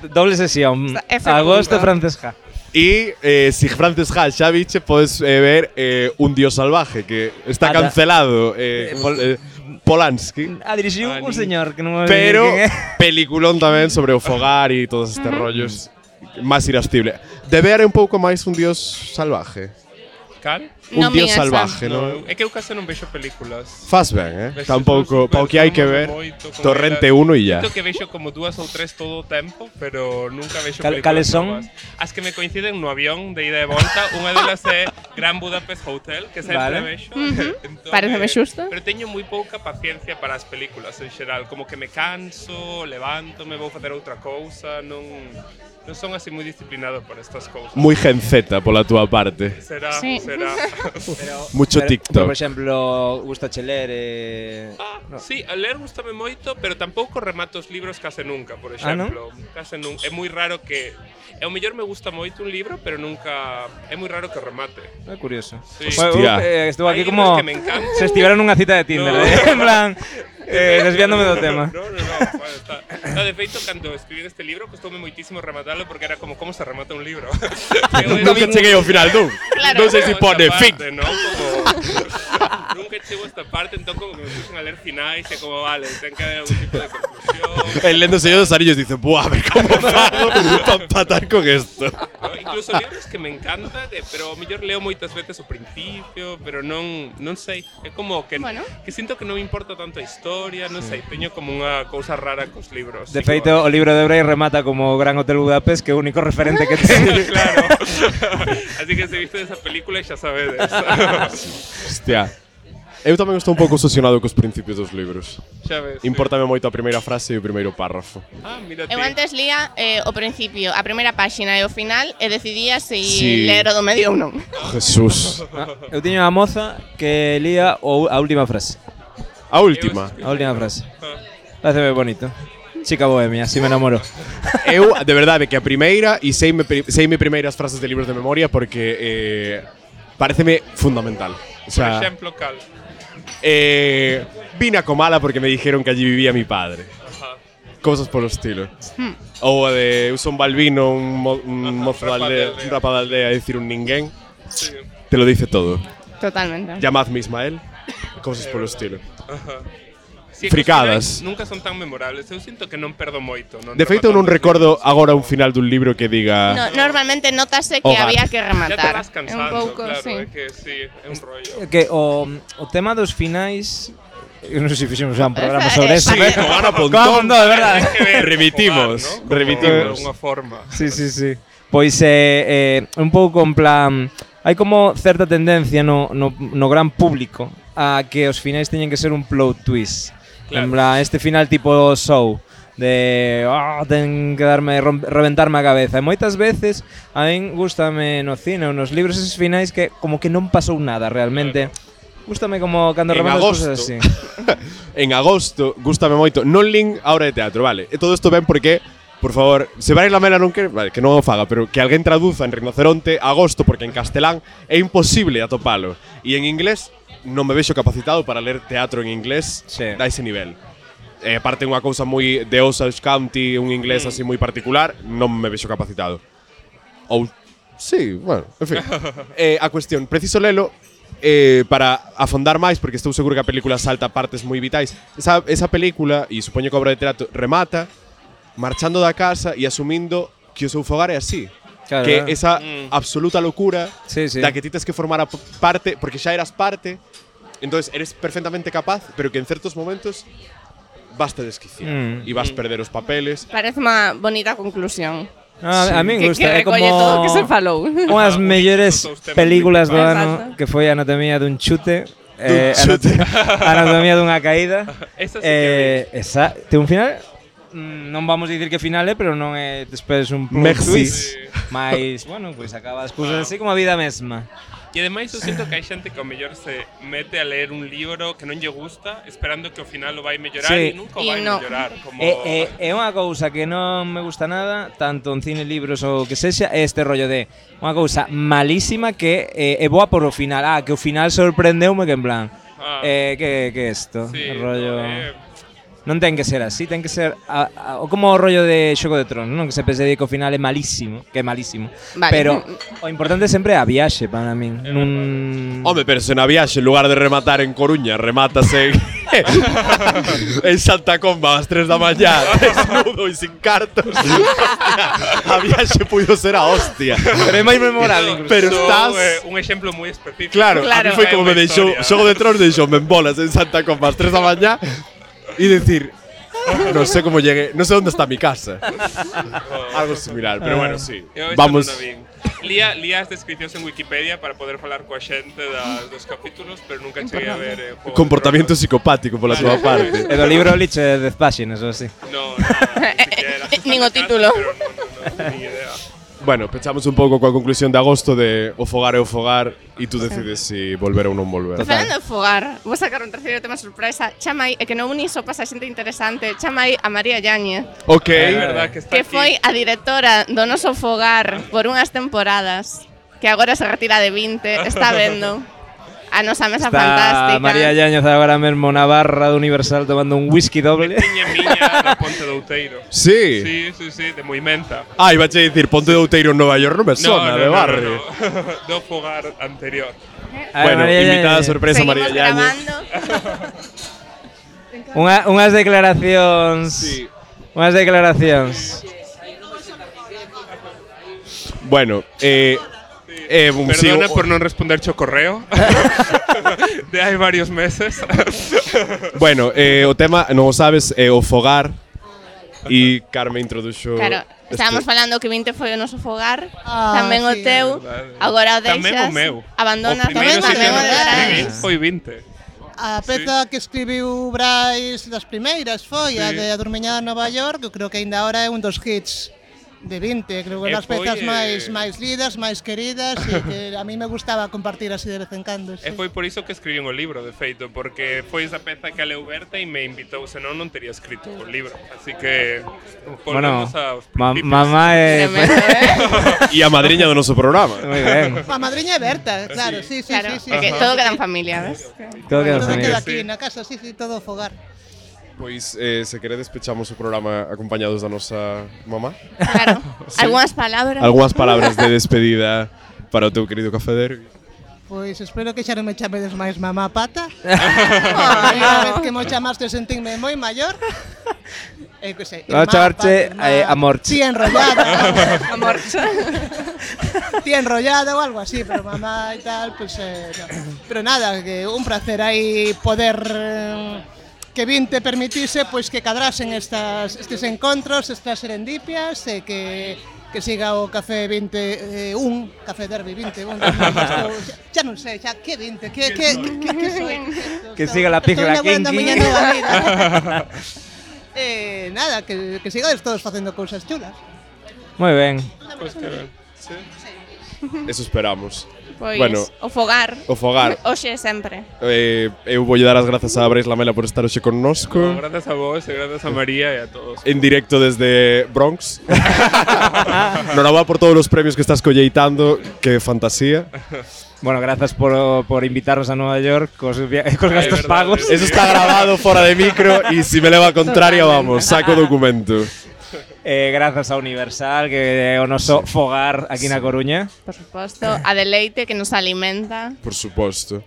Doble sesión. É fecundo. Agosto Francesca. E si Frances Ha xa biche, podes ver Un Dios Salvaje, que está Ata- cancelado. Polanski. A dirixiu un señor que non me Pero quen é. peliculón tamén sobre o fogar e todos estes rollos máis irascible. Debe haber un pouco máis Un Dios Salvaje. Cal? Un Non Dios vi esa. Salvaje, non? É que eu case non vexo películas. Faz ben, Vexo Tampouco, super, pa o que hai que ver, moito con Torrente elas. 1 e ya. Sinto que vexo como 2 ou 3 todo o tempo, pero nunca vexo Cal- películas cales son? novas. As que me coinciden no avión de ida e volta, unha delas é Grand Budapest Hotel, que sempre Vale. vexo. Entón, Paréceme xusto. Pero teño moi pouca paciencia para as películas en xeral, como que me canso, levanto, me vou facer outra cousa, non son así moi disciplinado por estas cousas. Moi gen Z pola túa parte. Será, Sí, será. Verá. Mucho Pero, TikTok. por exemplo, gustache ler no. Sí, a ler gustame moito, pero tampouco remato os libros case nunca, por non? exemplo. Case nunca. É moi raro que... O mellor me gusta moito un libro, pero nunca... É moi raro que remate. É curioso. Sí. Hostia. Estou aquí Hai como libros que me encantan. se estivera nunha cita de Tinder, No. en plan desviándome do tema. No, bueno, está. No, de feito, cando escribí este libro, costoume moitísimo rematalo porque era como se remata un libro. Nunca cheguei ao final dun. Claro. Non sei se pone fin. ¿no? Como... Nunca chego a esta parte, entón como que me puxen a ler finais e como, vale, ten que haber algún tipo de conclusión. El lendo Señor dos Anillos dice, buah, a ver cómo fago para empatar con esto. ¿No? Incluso libros que me encantan, pero o mellor leo moitas veces o principio, pero non sei. É como que, Bueno. que sinto que non me importa tanto a historia, non sei, teño como unha cousa rara cos libros. De feito, o libro de Bray remata como Gran Hotel Budapest, que é o único referente que ten. Claro. Así que se viste esa película xa sabedes. Hostia. Eu tamén estou un pouco obsesionado cos principios dos libros. Xa ves. Importame moito a primeira frase e o primeiro párrafo. Ah, mira ti. Eu antes lía o principio, a primeira páxina e o final e decidía se Sí. ler o do medio ou non. Jesús. Eu tiño unha moza que lía a última frase. A última. A última frase. Parece moi bonito. Chica bohemia, así me enamoró. Eu, de verdade, que a primeira e seime primeiras frases de libros de memoria porque pareceme fundamental. O Por sea, exemplo, cal. vine a Comala porque me dijeron que allí vivía mi padre. Ajá. Cosas por el estilo. Ou a de eu son Balbino, un mozo de rapa de aldea, aldea. un rapa de aldea, é dicir un ninguén. Sí. Te lo dice todo. Totalmente. Llamadme Ismael. Cosas por el estilo. Ajá. Sí, Fricadas. que os finais nunca son tan memorables. Eu sinto que non perdo moito. De feito, eu non recordo agora un final dun libro que diga No, normalmente notase que Hogar. había que Ya te rematar. vas É un cansando, pouco, claro, sí. é que sí, é un rollo. Que o tema dos finais, eu non sei se fixemos un programa sobre eso. Sí, con Ana Pontón. Con Ana Pontón, de verdade. Ten que ver Remitimos, con jugar, ¿no? remitimos. De alguna forma. Sí. Pois un pouco en plan, hai como certa tendencia no gran público a que os finais teñen que ser un plot twist. Claro. En plan, este final tipo show de ten que reventarme a cabeza. E moitas veces a min gústame no cine ou nos libros esos finais que como que non pasou nada realmente. Gústame como cando En reventas agosto. cosas así. En agosto, gústame moito. Non lin a obra de teatro, vale. E todo isto ben porque, por favor, se vai la mela non que, vale, que non o faga, pero que alguén traduza en Rinoceronte agosto porque en castelán é imposible atopalo. E en inglés non me vexo capacitado para ler teatro en inglés Sí. da ese nivel. Aparte unha cousa moi de Osage County, un inglés así moi particular, non me vexo capacitado. Ou sí, bueno, en fin. A cuestión, preciso lelo para afondar máis porque estou seguro que a película salta partes moi vitais. Esa película, e supoño que a obra de teatro remata marchando da casa e asumindo que o seu fogar é así. Claro, Que claro. esa absoluta locura Sí, sí. da que ti tes que formar parte porque xa eras parte, entonces eres perfectamente capaz, pero que en certos momentos vas te desquiciar e vas perder os papeles. Parece unha bonita conclusión. A min Que gusta, é como recolle todo o que se falou. unhas mellores Todos os temas películas do principais. ano Exacto. que foi Anatomía dun chute, chute. Anatomía dunha caída. Esa sí que Esa ten un final, non vamos a dicir que final é, pero non é despois un plot Merci. twist. Mas, bueno, pois acaba as cousas así como a vida mesma. E ademais eu sinto que hai xente que ao mellor se mete a ler un libro que non lle gusta esperando que ao final o vai mellorar Sí. e nunca o E vai no. mellorar. Como... É unha cousa que non me gusta nada, tanto en cine, libros ou que sexa, é este rollo de unha cousa malísima que é boa por o final. Que o final sorprendeume que en plan, que é isto? Sí, O rollo... no, Non ten que ser así, ten que ser como o rollo de Xogo de Tronos, non? Que se pense que o final é malísimo, que é malísimo. Vale. Pero o importante sempre é a viaxe para min. Home, pero se na viaxe, en lugar de rematar en Coruña, remátase en Santa Comba ás 3 da mañá, desnudo e sin cartos. Hostia, a viaxe puido ser a hostia. Pero é máis memorable incluso. Pero Iso estás... é un exemplo moi específico. Claro, Claro. a mí foi como É me unha deixou historia. Xogo de Tronos, deixoume en bolas en Santa Comba ás 3 da mañá e decir, non sei como llegué, non sei onde está mi casa. Algo similar, pero bueno, sí. Eu Vamos. esta non a vin. Lía as descripcións en Wikipedia para poder falar coa xente dos capítulos, pero nunca cheguei a ver Juego de Comportamento Tronos. psicopático pola túa parte. E do libro liche 10 páxinas ou así. No, ni siquiera. Nin o título. Pero no, ni idea. Bueno, pechamos un pouco coa conclusión de agosto de o fogar é o fogar e tú decides se volver ou non volver. Falando de fogar, vou sacar un terceiro tema sorpresa. Chamai, e que non uni só pasa xente interesante, chamai a María Yáñez, Ok. É verdad que está que aquí. foi a directora do noso fogar por unhas temporadas, que agora se retira de 20, está vendo a nosa mesa fantástica. María Yáñez agora mesmo na barra do Universal tomando un whisky doble. Tiña miña na Ponte do Outeiro. Sí. Sí, de Moimenta. Ai, vache dicir, Ponte de Outeiro en Nova York non me sona de barrio. No. Do fogar anterior. Bueno, María invitada Yáñez. sorpresa Seguimos María Yáñez. grabando. Unhas declaracións. Sí. Unhas declaracións. Bueno, Perdona por non responder o correo. De hai varios meses. Bueno, o tema, non o sabes, é o fogar. E Carme introduxo Claro, estábamos falando que 20 foi o noso fogar, tamén o teu, agora o deixas, Tamén o meu. abandonas O primeiro tamén sitio o no que escribín Brais. foi 20. A peza que escribiu Brais das primeiras foi a Sí. de Adormeñada en Nova York, eu creo que aínda ahora é un dos hits de 20, creo que E das pezas foi, máis lidas, máis queridas e que a mí me gustaba compartir así de vez en cando. E foi por iso que escribín o libro, de feito, porque foi esa peza que a leu Berta e me invitou, senón non tería escrito o libro. Así que Bueno, volvemos aos principios. mamá é... Tremendo, E a madriña do noso programa. Moi ben. A madriña é Berta, claro, sí, Claro, sí. é que todo queda en familia, ves? Todo queda Todo familia. queda aquí na casa, sí, todo fogar. Pois, se queredes, pechamos o programa acompañados da nosa mamá. Claro. Algúnas palabras. Algúas palabras de despedida para o teu querido Café Derby. Pois espero que xa non me chamedes máis mamá pata. Ai, A vez que mo chamaste sentinme moi maior. Que sei, Vamos a chamarte Amorchi. Sí, enrollada. Amor. Tía enrollada ou algo así, pero mamá e tal, pues no. Pero nada, que un placer aí poder que 20 permitise pois que cadrasen estes encontros, estas serendipias e que siga o Café 21, Café Derby 21. Xa non sei, xa que 20, que soy. Que siga la pífera Estou kinky. miña nova vida. Nada, que sigades todos facendo cousas chulas. Moi ben. Pois que ben. Sí. Eso esperamos. Pois, Bueno. o fogar. O fogar. Hoxe e sempre. Eu voulle dar as grazas a Brais Lamela por estar hoxe connosco. Grazas a vos e grazas a María e a todos. En directo desde Bronx. Noraba por todos os premios que estás colleitando. Que fantasía. Bueno, grazas por invitarnos a Nueva York cos gastos verdade. pagos. Eso está grabado fora de micro e se me leva a contraria, vamos, saco o documento. Grazas a Universal, que é o noso fogar aquí na Coruña. Por suposto, a Deleite que nos alimenta. Por suposto.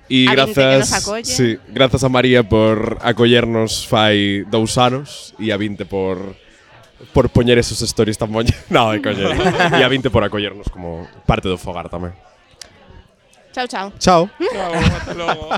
E A 20 que grazas, nos acolle. sí, grazas a María por acollernos fai 2 anos e a 20 por poñer esos stories tan moños. No, de coño. E a 20 por acollernos como parte do fogar tamén. Chao, chao. Chao. Chao, hasta logo.